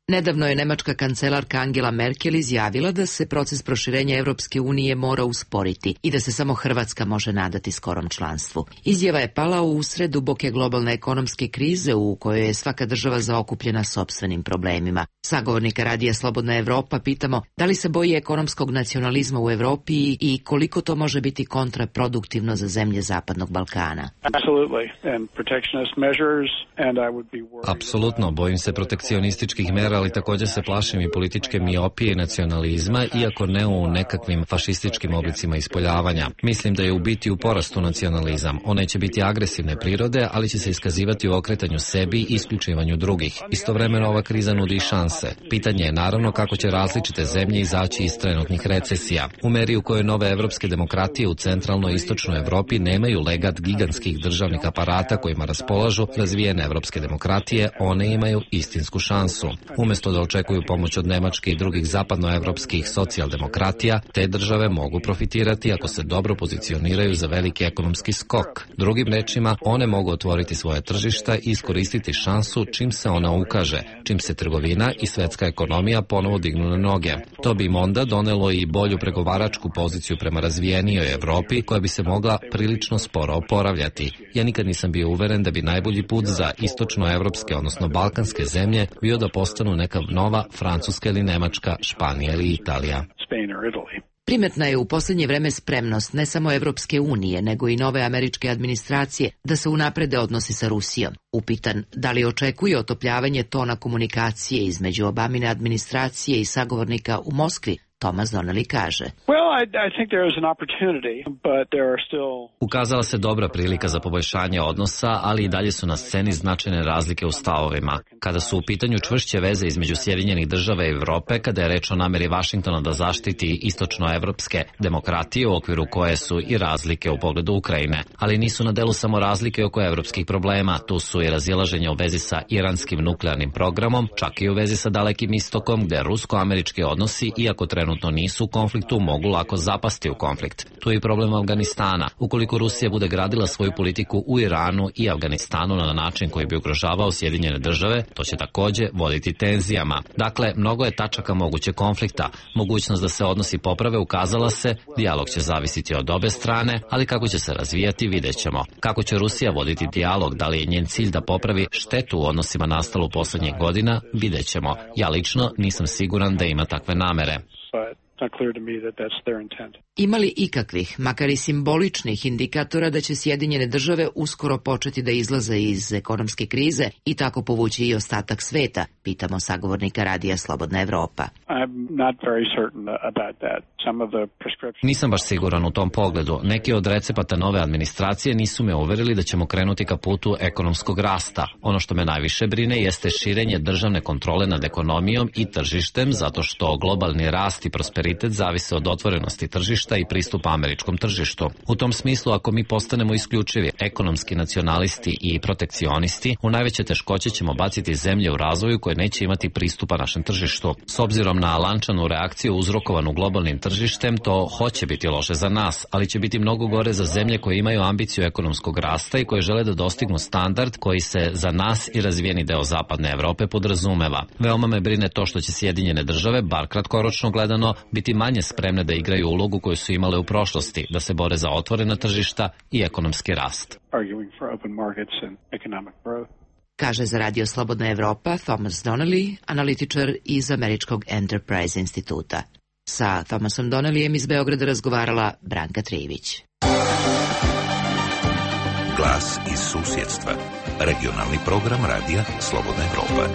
Nedavno je nemačka kancelarka Angela Merkel izjavila da se proces proširenja Evropske unije mora usporiti i da se samo Hrvatska može nadati skorom članstvu. Izjava je pala u usred duboke globalne ekonomske krize u kojoj je svaka država zaokupljena sopstvenim problemima. Sagovornika radija Slobodna Evropa pitamo da li se boji ekonomskog nacionalizma u Evropi i koliko to može biti kontraproduktivno za zemlje Zapadnog Balkana. Apsolutno, bojim se protekcionističkih mera, ali također se plašim i političke miopije i nacionalizma, iako ne u nekakvim fašističkim oblicima ispoljavanja. Mislim da je u biti u porastu nacionalizam. On neće biti agresivne prirode, ali će se iskazivati u okretanju sebi i isključivanju drugih. Istovremeno ova kriza nudi šanse. Pitanje je naravno kako će različite zemlje izaći iz trenutnih recesija. U meri u kojoj nove evropske demokratije u centralnoj i istočnoj Evropi nemaju legat gigantskih državnih aparata kojima raspolažu razvijene evropske demokratije, one imaju istinsku šansu. Umjesto da očekuju pomoć od Nemačke i drugih zapadnoevropskih socijaldemokratija, te države mogu profitirati ako se dobro pozicioniraju za veliki ekonomski skok. Drugim rečima, one mogu otvoriti svoje tržišta i iskoristiti šansu čim se ona ukaže, čim se trgovina i svetska ekonomija ponovo dignu na noge. To bi im onda donelo i bolju pregovaračku poziciju prema razvijenijoj Evropi, koja bi se mogla prilično sporo oporavljati. Ja nikad nisam bio uveren da bi najbolji put za istočnoevropske, odnosno balkanske zemlje bio da postanu neka nova Francuska ili Nemačka, Španija ili Italija. Primetna je u posljednje vreme spremnost ne samo Evropske unije, nego i nove američke administracije da se unaprede odnosi sa Rusijom. Upitan da li očekuje otopljavanje tona komunikacije između Obamine administracije i sagovornika u Moskvi, Thomas Donnelly kaže. Well, I, I think there is an opportunity, but there are still... Ukazala se dobra prilika za poboljšanje odnosa, ali i dalje su na sceni značajne razlike u stavovima. Kada su u pitanju čvršće veze između Sjedinjenih država i Evrope, kada je reč o nameri Vašingtona da zaštiti istočnoevropske demokratije u okviru koje su i razlike u pogledu Ukrajine. Ali nisu na delu samo razlike oko evropskih problema, tu su i razilaženja u vezi sa iranskim nuklearnim programom, čak i u vezi sa Dalekim istokom, gde rusko-američki odnosi, iako trenutno nisu u konfliktu, mogu lako zapasti u konflikt. Tu je i problem Afganistana. Ukoliko Rusija bude gradila svoju politiku u Iranu i Afganistanu na način koji bi ugrožavao Sjedinjene države, to će takođe voditi tenzijama. Dakle, mnogo je tačaka mogućeg konflikta. Mogućnost da se odnosi poprave ukazala se, dijalog će zavisiti od obe strane, ali kako će se razvijati vidjet ćemo. Kako će Rusija voditi dijalog, da li je njen cilj da popravi štetu u odnosima nastalu poslednjih godina, vidjet ćemo. Ja lično nisam siguran da ima takve namere. Ima li ikakvih, makar i simboličnih indikatora da će Sjedinjene države uskoro početi da izlaze iz ekonomske krize i tako povući i ostatak sveta, pitamo sagovornika Radija Slobodna Evropa. Nisam baš siguran u tom pogledu. Neki od recepata nove administracije nisu me uverili da ćemo krenuti ka putu ekonomskog rasta. Ono što me najviše brine jeste širenje državne kontrole nad ekonomijom i tržištem, zato što globalni rast i prosperitet zavise od otvorenosti tržišta i pristupa američkom tržištu. U tom smislu, ako mi postanemo isključivi ekonomski nacionalisti i protekcionisti, u najveće teškoće ćemo baciti zemlje u razvoju koje neće imati pristupa našem tržištu. S obzirom na lančanu reakciju uzrokovanu globalnim tržištem, to hoće biti loše za nas, ali će biti mnogo gore za zemlje koje imaju ambiciju ekonomskog rasta i koje žele da dostignu standard koji se za nas i razvijeni deo zapadne Evrope podrazumeva. Veoma me brine to što će Sjedinjene države, bar kratkoročno gledano, biti manje spremne da igraju ulogu koju su imale u prošlosti, da se bore za otvorena tržišta i ekonomski rast. Kaže za Radio Slobodna Evropa Thomas Donnelly, analitičar iz Američkog Enterprise instituta. Sa Thomasom Donnellyjem iz Beograda razgovarala Branka Trivić. Glas iz susjedstva. Regionalni program Radija Slobodna Evropa.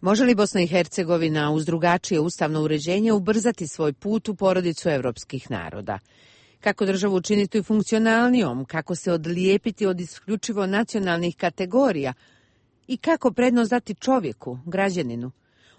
Može li Bosna i Hercegovina uz drugačije ustavno uređenje ubrzati svoj put u porodicu evropskih naroda? Kako državu učiniti funkcionalnijom, kako se odlijepiti od isključivo nacionalnih kategorija i kako prednost dati čovjeku, građaninu?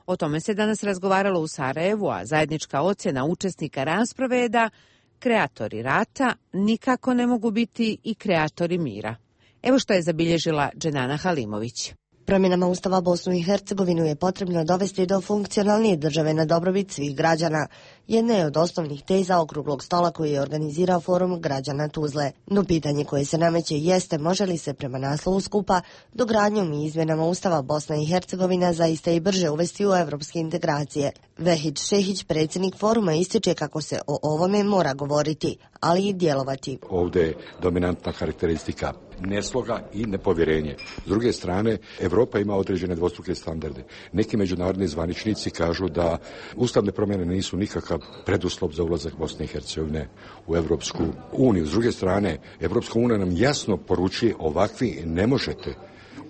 O tome se danas razgovaralo u Sarajevu, a zajednička ocjena učesnika rasprave je da kreatori rata nikako ne mogu biti i kreatori mira. Evo što je zabilježila Dženana Halimović. Promjenama Ustava Bosnu i Hercegovinu je potrebno dovesti do funkcionalnije države na dobrobit svih građana. Jedna je od osnovnih teza okruglog stola koji je organizirao Forum građana Tuzle. No pitanje koje se nameće jeste može li se prema naslovu skupa dogradnjom i izmjenama Ustava Bosna i Hercegovina zaista i brže uvesti u evropske integracije. Vehid Šehić, predsjednik Foruma, ističe kako se o ovome mora govoriti, ali i djelovati. Ovdje je dominantna karakteristika nesloga i nepovjerenje. S druge strane, Evropa ima određene dvostruke standarde. Neki međunarodni zvaničnici kažu da ustavne promjene nisu nikakav preduslov za ulazak Bosne i Hercegovine u Evropsku uniju. S druge strane, Evropska unija nam jasno poručuje ovakvi ne možete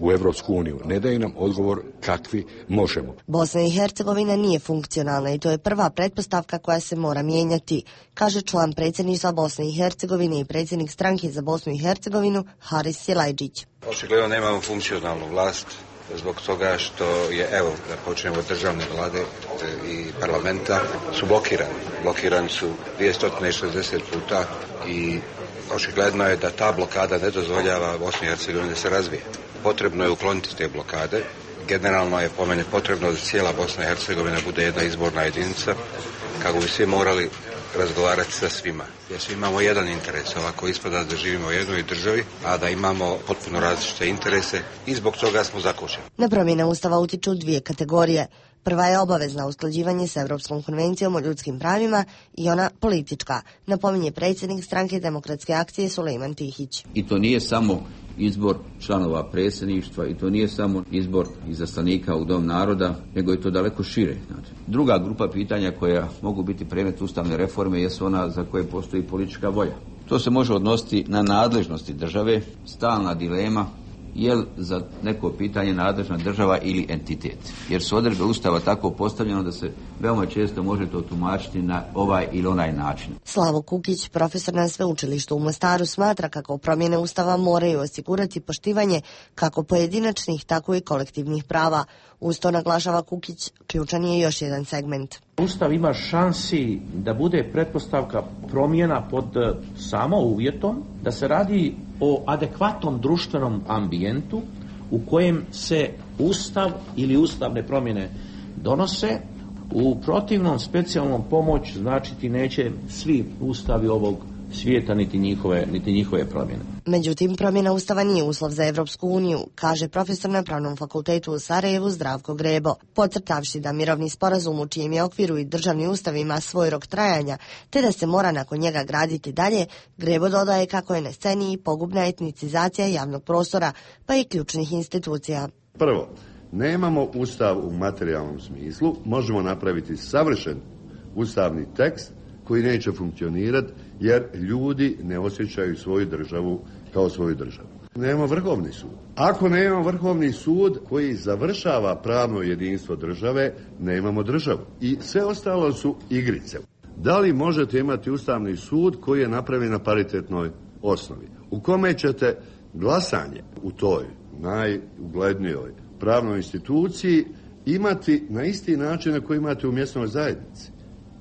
u Evropsku uniju. Ne daje nam odgovor kakvi možemo. Bosna i Hercegovina nije funkcionalna i to je prva pretpostavka koja se mora mijenjati, kaže član predsjedništva Bosne i Hercegovine i predsjednik stranke za Bosnu i Hercegovinu Haris Silajđić. Očigledno nemamo funkcionalnu vlast zbog toga što je, evo, da počnemo od državne vlade i parlamenta, su blokirani. Blokirani su dvjesto šezdeset puta i očigledno je da ta blokada ne dozvoljava Bosni i Hercegovini da se razvije. Potrebno je ukloniti te blokade. Generalno je po meni potrebno da cijela Bosna i Hercegovina bude jedna izborna jedinica, kako bi svi morali razgovarati sa svima. Jer svi imamo jedan interes, ovako ispada da živimo u jednoj državi, a da imamo potpuno različite interese i zbog toga smo zakočeni. Na promjene Ustava utiču dvije kategorije. Prva je obavezna usklađivanje s Evropskom konvencijom o ljudskim pravima i ona politička, napominje predsjednik Stranke demokratske akcije Sulejman Tihić. I to nije samo izbor članova predsjedništva i to nije samo izbor izaslanika u Dom naroda, nego je to daleko šire. Znači, druga grupa pitanja koja mogu biti predmet ustavne reforme jesu ona za koje postoji politička volja. To se može odnositi na nadležnosti države, stalna dilema je li za neko pitanje nadležna država ili entitet. Jer su odredbe Ustava tako postavljeno da se veoma često može to tumačiti na ovaj ili onaj način. Slavo Kukić, profesor na sveučilištu u Mostaru, smatra kako promjene Ustava moraju osigurati poštivanje kako pojedinačnih, tako i kolektivnih prava. Uz to, naglašava Kukić, ključan je još jedan segment. Ustav ima šansi da bude pretpostavka promjena pod samo uvjetom da se radi o adekvatnom društvenom ambijentu u kojem se Ustav ili ustavne promjene donose. U protivnom specijalnom pomoć značiti neće svi ustavi ovog svijeta niti njihove, niti njihove promjene. Međutim, promjena Ustava nije uslov za Evropsku uniju, kaže profesor na Pravnom fakultetu u Sarajevu Zdravko Grebo, podcrtavši da mirovni sporazum u čijem je okviru i državni ustav ima svoj rok trajanja, te da se mora nakon njega graditi dalje. Grebo dodaje kako je na sceni i pogubna etnicizacija javnog prostora, pa i ključnih institucija. Prvo, nemamo ustav u materijalnom smislu, možemo napraviti savršen ustavni tekst koji neće funkcionirati jer ljudi ne osjećaju svoju državu kao svoju državu. Nema vrhovni sud. Ako nemamo vrhovni sud koji završava pravno jedinstvo države, nemamo državu. I sve ostalo su igrice. Da li možete imati ustavni sud koji je napravljen na paritetnoj osnovi? U kome ćete glasanje u toj najuglednijoj pravnoj instituciji imati na isti način na koji imate u mjesnoj zajednici?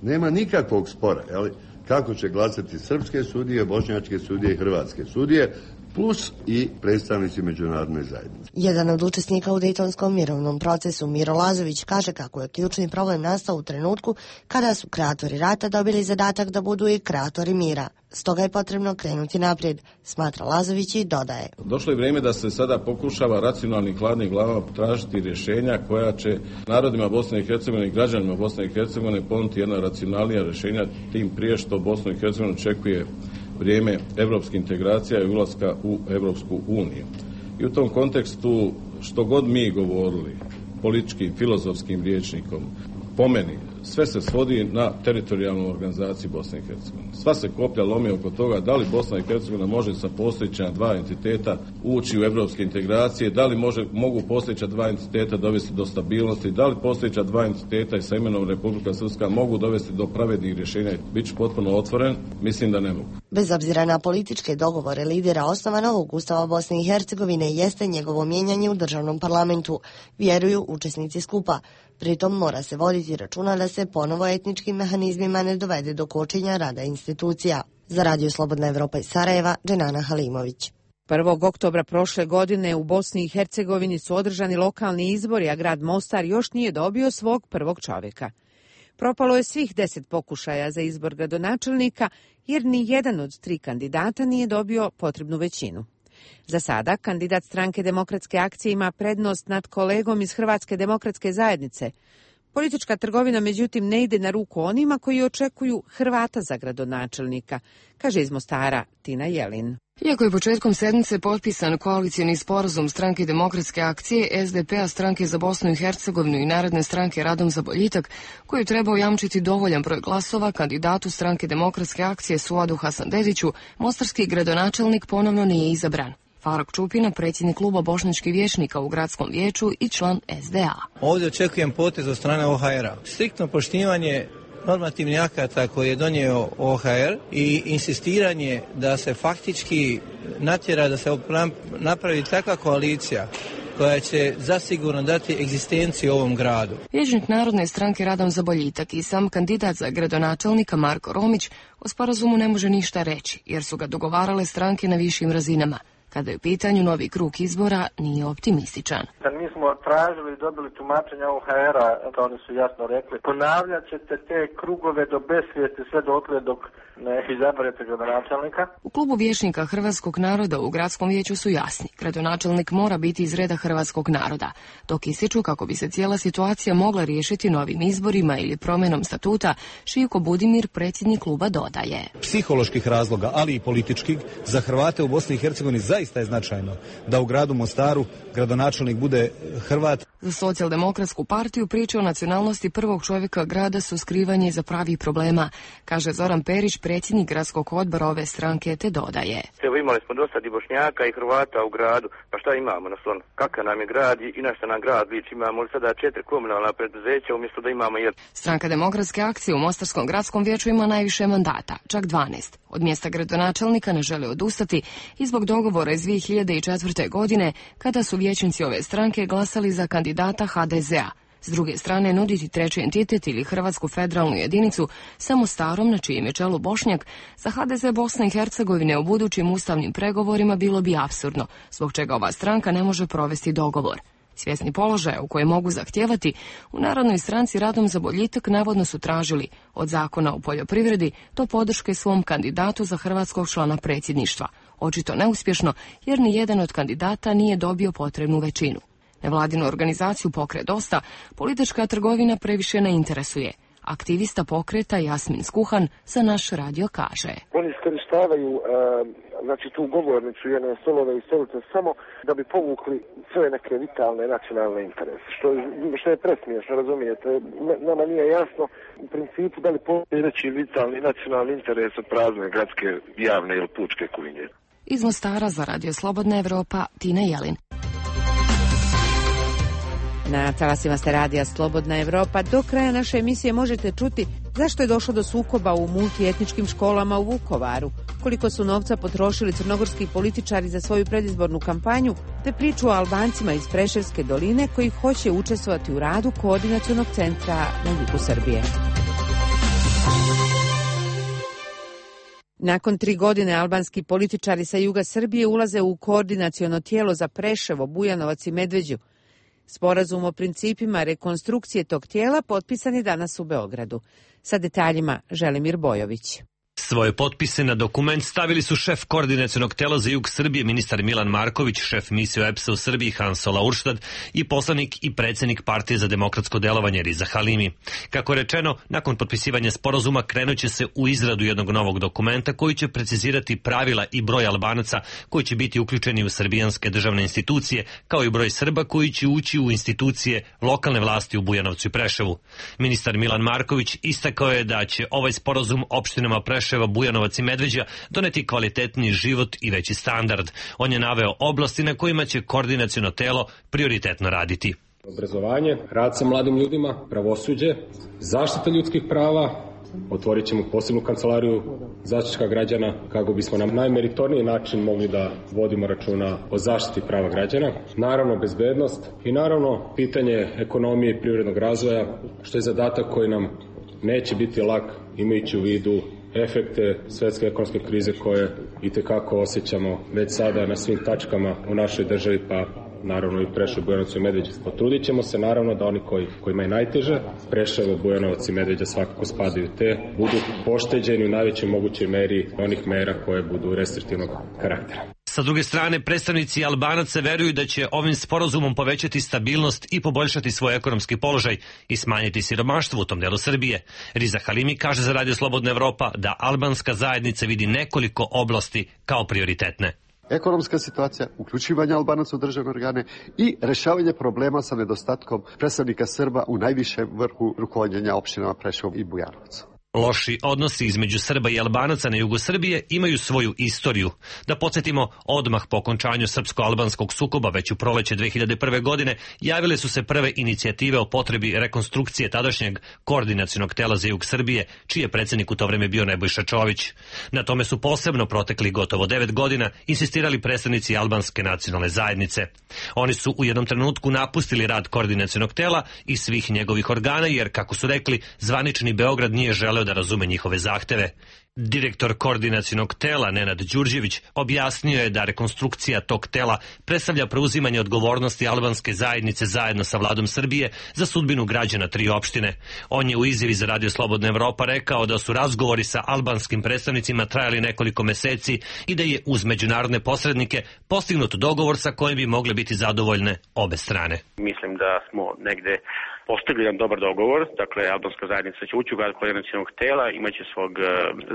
Nema nikakvog spora, jel? Kako će glasati srpske sudije, bošnjačke sudije i hrvatske sudije, plus i predstavnici međunarodne zajednice. Jedan od učesnika u Dejtonskom mirovnom procesu, Miro Lazović, kaže kako je ključni problem nastao u trenutku kada su kreatori rata dobili zadatak da budu i kreatori mira. Stoga je potrebno krenuti naprijed, smatra Lazović i dodaje. Došlo je vrijeme da se sada pokušava racionalnim hladnim glavama tražiti rješenja koja će narodima Bosne i Hercegovine i građanima Bosne i Hercegovine ponuditi jedna racionalnija rješenja, tim prije što Bosnu i Hercegovinu očekuje vrijeme evropske integracija i ulaska u Evropsku uniju. I u tom kontekstu, što god mi govorili političkim, filozofskim rječnikom, po meni, sve se svodi na teritorijalnu organizaciju Bosne i Hercegovine. Sva se koplja lomi oko toga da li Bosna i Hercegovina može sa postojeća dva entiteta ući u evropske integracije, da li može, mogu postojeća dva entiteta dovesti do stabilnosti, da li postojeća dva entiteta i sa imenom Republika Srpska mogu dovesti do pravednih rješenja. Biću potpuno otvoren, mislim da ne mogu. Bez obzira na političke dogovore lidera, osnova novog Ustava Bosne i Hercegovine jeste njegovo mijenjanje u državnom parlamentu, vjeruju učesnici skupa. Pritom mora se voditi računa da se ponovo etničkim mehanizmima ne dovede do kočenja rada institucija. Za Radio Slobodna Evropa iz Sarajeva, Dženana Halimović. prvog oktobra prošle godine u Bosni i Hercegovini su održani lokalni izbori, a grad Mostar još nije dobio svog prvog čovjeka. Propalo je svih deset pokušaja za izbor gradonačelnika, jer ni jedan od tri kandidata nije dobio potrebnu većinu. Za sada, kandidat Stranke demokratske akcije ima prednost nad kolegom iz Hrvatske demokratske zajednice. Politička trgovina, međutim, ne ide na ruku onima koji očekuju Hrvata za gradonačelnika, kaže iz Mostara Tina Jelin. Iako je početkom sedmice potpisan koalicijni sporazum Stranke demokratske akcije, es de pe a, Stranke za Bosnu i Hercegovinu i Narodne stranke Radom za boljitak, koji je trebao jamčiti dovoljan broj glasova kandidatu Stranke demokratske akcije Suadu Hasandediću, mostarski gradonačelnik ponovno nije izabran. Faruk Čupina, predsjednik kluba bošnjačkih vijećnika u gradskom vijeću i član es de a. Ovdje očekujem potez od strane o ha er a. Striktno poštivanje normativnih akata koje je donio o ha er i insistiranje da se faktički natjera da se napravi takva koalicija koja će zasigurno dati egzistenciju ovom gradu. Vijećnik Narodne stranke Radom za boljitak i sam kandidat za gradonačelnika Marko Romić o sporazumu ne može ništa reći, jer su ga dogovarale stranke na višim razinama. Kada je u pitanju novi krug izbora, nije optimističan. Mi smo tražili i dobili tumačenja O H R-a, to oni su jasno rekli. Ponavljat ćete te krugove do besvijesti sve dotle dok ne izaberete gradonačelnika. U klubu vijećnika hrvatskog naroda u gradskom vijeću su jasni. Gradonačelnik mora biti iz reda hrvatskog naroda, dok ističu kako bi se cijela situacija mogla riješiti novim izborima ili promjenom statuta, Šivko Budimir, predsjednik kluba, dodaje. Psiholoških razloga, ali i političkih, za Hrvate u Bosni i Hercegovini zaista je značajno da u gradu Mostaru gradonačelnik bude Hrvat. Za Socijaldemokratsku partiju priče o nacionalnosti prvog čovjeka grada su skrivanje iza pravih problema, kaže Zoran Perić, predsjednik gradskog odbora ove stranke, te dodaje. Evo, imali smo dosta i Bošnjaka i Hrvata u gradu, pa šta imamo na slonu? Kakav nam je grad i na šta nam grad liči? Imamo li sada četiri komunalna preduzeća umjesto da imamo jedan? Stranka Demokratske akcije u Mostarskom gradskom vijeću ima najviše mandata, čak dvanaest. Od mjesta gradonačelnika ne žele odustati i zbog dogovora iz dvije hiljade četvrte. godine, kada su vijećnici ove stranke glasali za kandidata H D Z A. S druge strane, nuditi treći entitet ili Hrvatsku federalnu jedinicu samo starom, na čijem je čelu Bošnjak, za H D Z Bosne i Hercegovine u budućim ustavnim pregovorima bilo bi apsurdno, zbog čega ova stranka ne može provesti dogovor. Svjesni položaja u koje mogu zahtijevati, u Narodnoj stranci Radom za boljitak navodno su tražili od Zakona o poljoprivredi do podrške svom kandidatu za hrvatskog člana predsjedništva. Očito neuspješno, jer ni jedan od kandidata nije dobio potrebnu većinu. Nevladinu organizaciju Pokret Dosta politička trgovina previše ne interesuje. Aktivista pokreta Jasmin Skuhan za naš radio kaže. Oni iskorištavaju uh, znači tu govornicu jedne stolove i stolice samo da bi povukli sve neke vitalne nacionalne interese. Što, što je presmiješno, razumijete. Nama nije jasno u principu da li postoji veći vitalni nacionalni interes od prazne gradske javne ili pučke kuhinje. Iz Mostara za Radio Slobodna Evropa, Tina Jelin. Na talasima ste radija Slobodna Evropa. Do kraja naše emisije možete čuti zašto je došlo do sukoba u multietničkim školama u Vukovaru, koliko su novca potrošili crnogorski političari za svoju predizbornu kampanju, te priču o Albancima iz Preševske doline koji hoće učestvovati u radu koordinacionog centra na jugu Srbije. Nakon tri godine albanski političari sa juga Srbije ulaze u koordinaciono tijelo za Preševo, Bujanovac i Medveđu. Sporazum o principima rekonstrukcije tog tijela potpisan je danas u Beogradu. Sa detaljima Želimir Bojović. Svoje potpise na dokument stavili su šef koordinacionog tela za jug Srbije, ministar Milan Marković, šef misije E P S-a u Srbiji Hansola Urštad i poslanik i predsjednik Partije za demokratsko delovanje Riza Halimi. Kako je rečeno, nakon potpisivanja sporazuma krenuće se u izradu jednog novog dokumenta koji će precizirati pravila i broj Albanaca koji će biti uključeni u srbijanske državne institucije, kao i broj Srba koji će ući u institucije lokalne vlasti u Bujanovcu i Preševu. Ministar Milan Marković istakao je da će ovaj sporazum opštinama Preševa, Bujanovac i Medveđa doneti kvalitetniji život i veći standard. On je naveo oblasti na kojima će koordinaciono telo prioritetno raditi. Obrazovanje, rad sa mladim ljudima, pravosuđe, zaštita ljudskih prava. Otvorit ćemo posebnu kancelariju Zaštitnika građana kako bismo na najmeritorniji način mogli da vodimo računa o zaštiti prava građana. Naravno bezbednost i naravno pitanje ekonomije i privrednog razvoja, što je zadatak koji nam neće biti lak imajući u vidu efekte svetske ekonomske krize koje itekako osjećamo već sada na svim tačkama u našoj državi, pa naravno i Preševo, Bujanovac i Medveđa. Potrudit ćemo se naravno da oni koji, kojima je najteže, Preševo, Bujanovac i Medveđa svakako spadaju te, budu pošteđeni u najvećoj mogućoj meri onih mera koje budu restriktivnog karaktera. Sa druge strane, predstavnici Albanaca veruju da će ovim sporazumom povećati stabilnost i poboljšati svoj ekonomski položaj i smanjiti siromaštvo u tom delu Srbije. Riza Halimi kaže za Radio Slobodna Evropa da albanska zajednica vidi nekoliko oblasti kao prioritetne. Ekonomska situacija, uključivanje Albanaca u državne organe i rešavanje problema sa nedostatkom predstavnika Srba u najvišem vrhu rukovodjenja opštinama Preševo i Bujanovac. Loši odnosi između Srba i Albanaca na jugu Srbije imaju svoju istoriju. Da podsjetimo, odmah po okončanju srpsko-albanskog sukoba već u proleće dve hiljade prve. godine javile su se prve inicijative o potrebi rekonstrukcije tadašnjeg koordinacionog tela za jug Srbije, čiji je predsjednik u to vreme bio Nebojša Čović. Na tome su posebno protekli gotovo devet godina insistirali predstavnici albanske nacionalne zajednice. Oni su u jednom trenutku napustili rad koordinacionog tela i svih njegovih organa, jer, kako su rekli, zvanični Beograd nije želeo želeo da razume njihove zahteve. Direktor koordinacionog tela Nenad Đurđević objasnio je da rekonstrukcija tog tela predstavlja preuzimanje odgovornosti albanske zajednice zajedno sa vladom Srbije za sudbinu građana tri opštine. On je u izjavi za Radio Slobodna Evropa rekao da su razgovori sa albanskim predstavnicima trajali nekoliko meseci i da je uz međunarodne posrednike postignut dogovor sa kojim bi mogle biti zadovoljne obe strane. Mislim da smo negde postigli jedan dobar dogovor, dakle albanska zajednica će ući u rad koordinacionog tela, imaće svog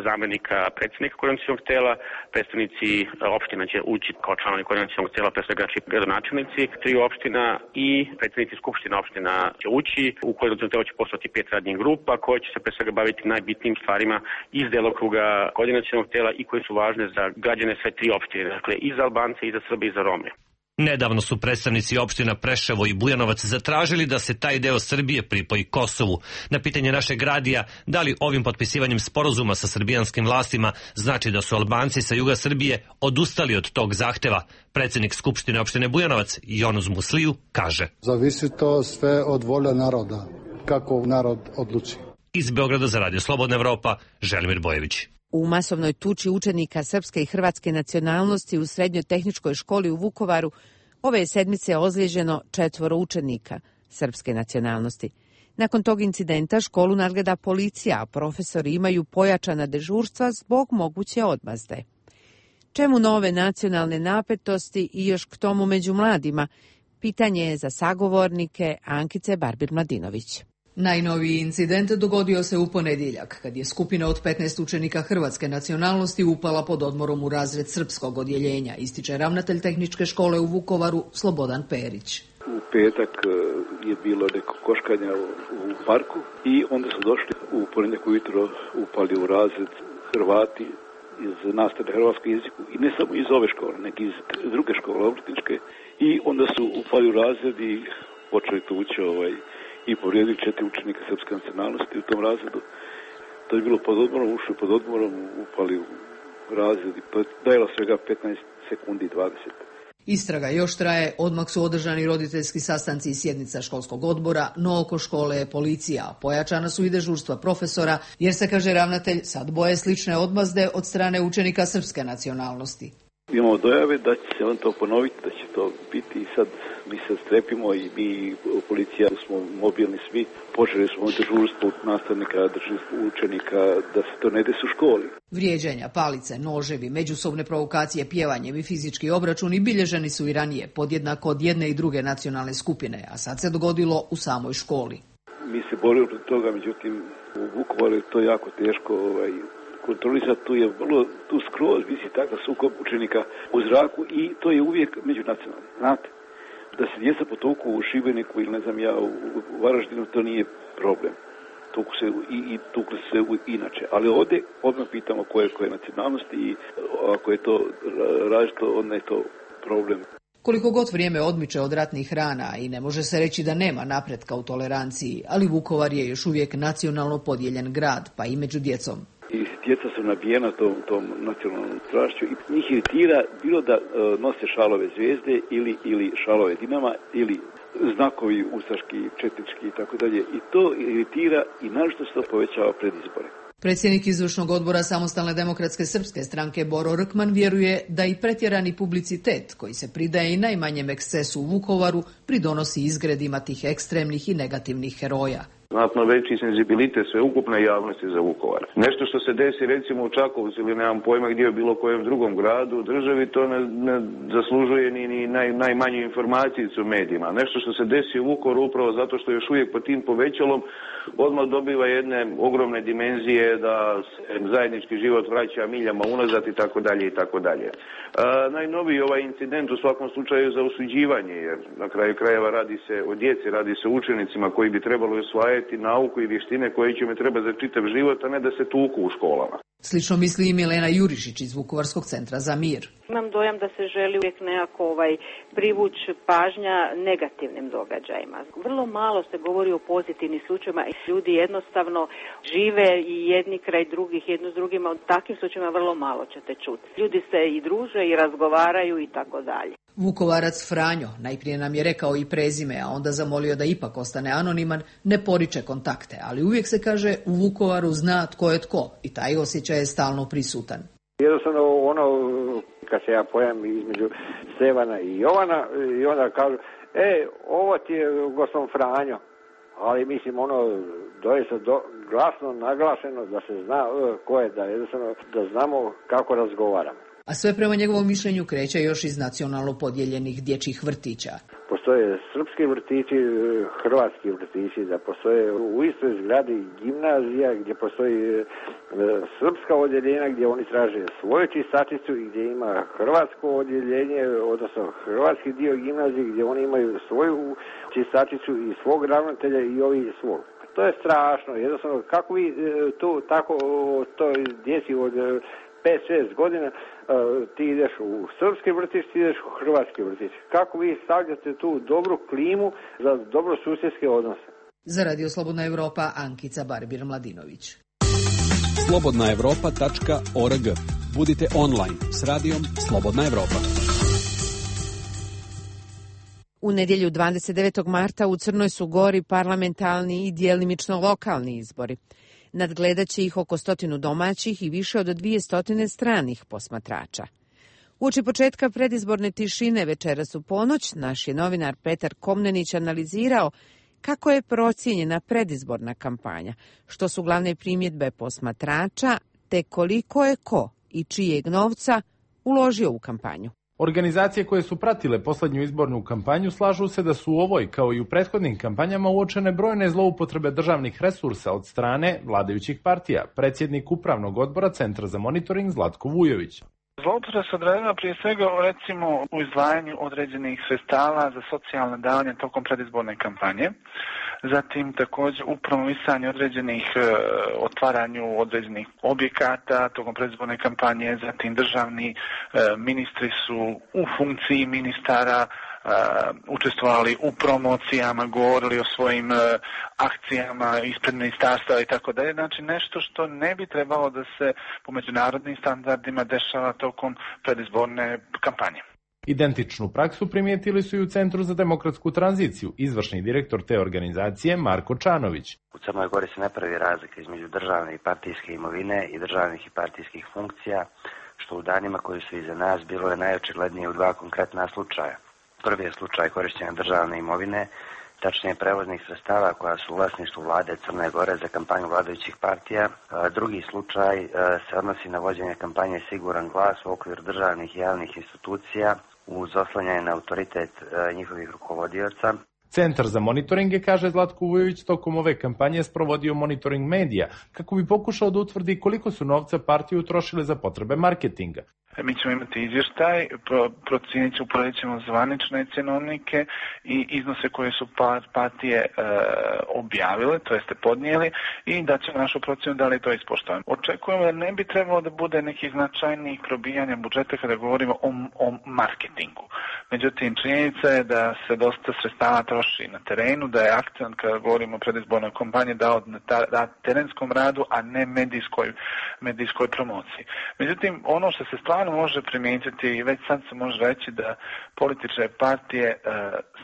zamenika predsjednika koordinacionog tela, predstavnici opština će ući kao članovi koordinacionog tela, pre svega gradonačelnici tri opština i predstavnici skupština opština će ući. U koordinacionog tela će postojati pet radnih grupa koje će se pre svega baviti najbitnijim stvarima iz delokruga koordinacionog tela i koje su važne za građane sve tri opštine, dakle i za Albance, i za Srbe, i za Rome. Nedavno su predstavnici opština Preševo i Bujanovac zatražili da se taj deo Srbije pripoji Kosovu. Na pitanje našeg radija da li ovim potpisivanjem sporazuma sa srbijanskim vlastima znači da su Albanci sa juga Srbije odustali od tog zahteva, predsednik Skupštine opštine Bujanovac Jonuz Musliju kaže: Zavisi to sve od volje naroda, kako narod odluči. Iz Beograda za Radio Slobodna Evropa, Želimir Bojević. U masovnoj tuči učenika srpske i hrvatske nacionalnosti u srednjotehničkoj školi u Vukovaru ove je sedmice ozlijeđeno četvoro učenika srpske nacionalnosti. Nakon tog incidenta školu nadgleda policija, a profesori imaju pojačana dežurstva zbog moguće odmazde. Čemu nove nacionalne napetosti i još k tomu među mladima? Pitanje je za sagovornike Ankice Barbir-Mladinović. Najnoviji incident dogodio se u ponedjeljak, kad je skupina od petnaest učenika hrvatske nacionalnosti upala pod odmorom u razred srpskog odjeljenja, ističe ravnatelj tehničke škole u Vukovaru Slobodan Perić. U petak je bilo neko koškanja u parku i onda su došli u ponedjeljak ujutro, upali u razred Hrvati iz nastave hrvatskog jeziku i ne samo iz ove škole, nego iz druge škole obrtničke, i onda su upali u razred i počeli tući ovaj i povrijedili četiri učenika srpske nacionalnosti u tom razredu. To je bilo pod odmorom, ušli pod odmorom, upali u razred i dajelo svega petnaest sekundi i dvadeset. Istraga još traje, odmah su održani roditeljski sastanci i sjednica školskog odbora, no oko škole je policija. Pojačana su i dežurstva profesora, jer se, kaže ravnatelj, sad boje slične odmazde od strane učenika srpske nacionalnosti. Imamo dojave da će se on to ponoviti, da će to biti i sad mi se strepimo i mi u policija smo mobilni svi, počeli smo dežurstvo nastavnika, dežurstvo učenika, da se to ne desi u školi. Vrijeđanja, palice, noževi, međusobne provokacije pjevanjem i fizički obračuni bilježeni su i ranije, podjednako od jedne i druge nacionalne skupine, a sad se dogodilo u samoj školi. Mi se borimo protiv toga, međutim u Vukovaru je to jako teško ovaj, kontrolisati, tu je vrlo, tu skroz visi takav sukob učenika u zraku i to je uvijek međunacionalno, znate. Da se djeca potuku u Šibeniku ili ne znam ja u Varaždinu, to nije problem. Tuku se i, i tukli se inače. Ali ovdje odmah pitamo koje, koje nacionalnosti i ako je to različito, onda je to problem. Koliko god vrijeme odmiče od ratnih rana i ne može se reći da nema napretka u toleranciji, ali Vukovar je još uvijek nacionalno podijeljen grad, pa i među djecom. I djeca su nabijena tom, tom nacionalnom strašću i njih iritira bilo da uh, nose šalove zvijezde ili, ili šalove Dinama ili znakovi ustaški, četnički i tako dalje. I to iritira i naročito se to povećava pred izbore. Predsjednik izvršnog odbora Samostalne demokratske srpske stranke Boro Rkman vjeruje da i pretjerani publicitet koji se pridaje i najmanjem ekscesu u Vukovaru pridonosi izgredima tih ekstremnih i negativnih heroja. Znatno veći senzibilitet sveukupne javnosti za Vukovar. Nešto što se desi recimo u Čakovcu ili nemam pojma gdje je bilo kojem drugom gradu u državi, to ne, ne zaslužuje ni, ni naj, najmanju informaciju u medijima. Nešto što se desi u Vukovaru upravo zato što još uvijek pod tim povećalom odmah dobiva jedne ogromne dimenzije da se zajednički život vraća miljama unazad i tako dalje i tako dalje. Najnoviji ovaj incident u svakom slučaju za osuđivanje, jer na kraju krajeva radi se o djeci, radi se o učenicima koji bi trebalo osvajati nauku i vještine koje će mi treba za čitav život, a ne da se tuku u školama. Slično misli i Milena Jurišić iz Vukovarskog centra za mir. Imam dojam da se želi uvijek nekako ovaj, privući pažnja negativnim događajima. Vrlo malo se govori o pozitivnim slučajima i ljudi jednostavno žive i jedni kraj drugih, jedno s drugima. O takvim slučajima vrlo malo ćete čuti. Ljudi se i druže i razgovaraju i tako dalje. Vukovarac Franjo najprije nam je rekao i prezime, a onda zamolio da ipak ostane anoniman, ne poriče kontakte, ali uvijek se kaže u Vukovaru zna tko je tko i taj osjećaj je stalno prisutan. Jednostavno ono, kad se ja pojam između Stevana i Jovana i onda kažu, e, ovo ti je gospodin Franjo, ali mislim ono, doista do, glasno naglašeno da se zna ko je, da jednostavno da znamo kako razgovaramo. A sve prema njegovom mišljenju kreće još iz nacionalno podijeljenih dječjih vrtića. Postoje srpski vrtići, hrvatski vrtići, da postoje u istoj zgradi gimnazija gdje postoji srpska odjeljenja gdje oni traže svoju čistačicu i gdje ima hrvatsko odjeljenje, odnosno hrvatski dio gimnazije gdje oni imaju svoju čistačicu i svog ravnatelja i ovi svog. To je strašno, jednostavno kako vi tu tako toj djeci od pet šest godina ti ideš u srpski vrtić, ti ideš u hrvatski vrtić. Kako vi stavljate tu dobru klimu za dobro susjedske odnose? Za Radio Slobodna Evropa, Ankica Barbir-Mladinović. slobodna evropa tačka org. Budite online s radijom Slobodna Evropa. U nedjelju dvadeset devetog marta u Crnoj su Gori parlamentarni i djelimično lokalni izbori. Nadgledat će ih oko stotinu domaćih i više od dvije stotine stranih posmatrača. Uoči početka predizborne tišine večeras u ponoć, naš je novinar Petar Komnenić analizirao kako je procijenjena predizborna kampanja, što su glavne primjedbe posmatrača, te koliko je ko i čijeg novca uložio u kampanju. Organizacije koje su pratile posljednju izbornu kampanju slažu se da su u ovoj, kao i u prethodnim kampanjama, uočene brojne zloupotrebe državnih resursa od strane vladajućih partija, predsjednik Upravnog odbora Centra za monitoring Zlatko Vujović. Zloupotreba se odredila prije svega recimo u izdvajanju određenih sredstava za socijalne davanje tokom predizborne kampanje, zatim također u promovisanju određenih e, otvaranju određenih objekata tokom predizborne kampanje, zatim državni e, ministri su u funkciji ministara Uh, učestvovali u promocijama, govorili o svojim uh, akcijama ispred ministarstva i tako dalje. Znači nešto što ne bi trebalo da se po međunarodnim standardima dešava tokom predizborne kampanje. Identičnu praksu primijetili su i u Centru za demokratsku tranziciju, izvršni direktor te organizacije Marko Čanović. U Crnoj Gori se ne pravi razlika između državne i partijske imovine i državnih i partijskih funkcija, što u danima koji su iza nas bilo je najočiglednije u dva konkretna slučaja. Prvi je slučaj korištenja državne imovine, tačnije prevoznih sredstava koja su u vlasništvu vlade Crne Gore za kampanju vladajućih partija. Drugi slučaj se odnosi na vođenje kampanje Siguran glas u okviru državnih i javnih institucija uz oslanjanje na autoritet njihovih rukovodioca. Centar za monitoringe, kaže Zlatko Vujović, tokom ove kampanje sprovodio monitoring medija kako bi pokušao da utvrdi koliko su novca partije utrošile za potrebe marketinga. Mi ćemo imati izvještaj, procijenit ćemo, uporedit ćemo zvanične cenovnike i iznose koje su partije e, objavile, to jeste podnijeli, i da ćemo našu procjenu da li to ispoštujemo. Očekujemo da ne bi trebalo da bude nekih značajnijih probijanja budžeta kada govorimo o, o marketingu. Međutim, činjenica je da se dosta sredstava troši na terenu, da je akcent kada govorimo o predizbornoj kampanji dao na da terenskom radu, a ne medijskoj, medijskoj promociji. Međutim, ono što se stvarno može primijetiti i već sad se može reći da političke partije e,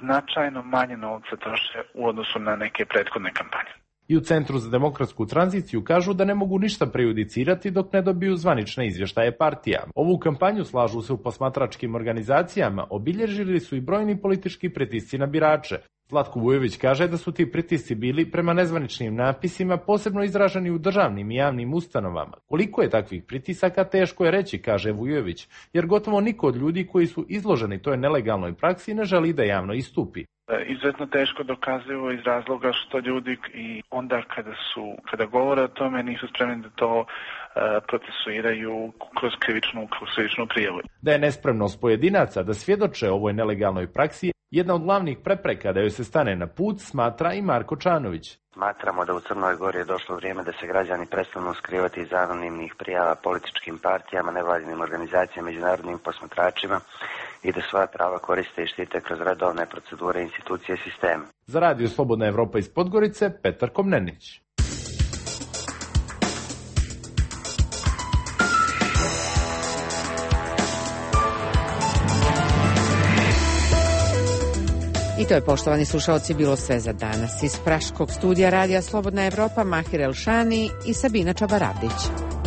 značajno manje novca troše u odnosu na neke prethodne kampanje. I u Centru za demokratsku tranziciju kažu da ne mogu ništa prejudicirati dok ne dobiju zvanične izvještaje partija. Ovu kampanju, slažu se u posmatračkim organizacijama, obilježili su i brojni politički pritisci na birače. Zlatko Vujović kaže da su ti pritisci bili prema nezvaničnim napisima posebno izraženi u državnim i javnim ustanovama. Koliko je takvih pritisaka teško je reći, kaže Vujović, jer gotovo niko od ljudi koji su izloženi toj nelegalnoj praksi ne želi da javno istupi. Izuzetno teško dokazivo iz razloga što ljudi i onda kada su kada govore o tome nisu spremni da to uh, procesuiraju kroz krivičnu, kroz krivičnu prijavu. Da je nespremnost pojedinaca da svjedoče ovoj nelegalnoj praksi jedna od glavnih prepreka da joj se stane na put, smatra i Marko Čanović. Smatramo da u Crnoj Gori je došlo vrijeme da se građani prestanu skrivati iz anonimnih prijava političkim partijama, nevladinim organizacijama, međunarodnim posmatračima i da svoja prava koriste i štite kroz redovne procedure, institucije i sisteme. Za Radio Slobodna Evropa iz Podgorice, Petar Komnenić. I to je, poštovani slušalci, bilo sve za danas. Iz Praškog studija radija Slobodna Evropa, Mahir Elšani i Sabina Čabaravdić.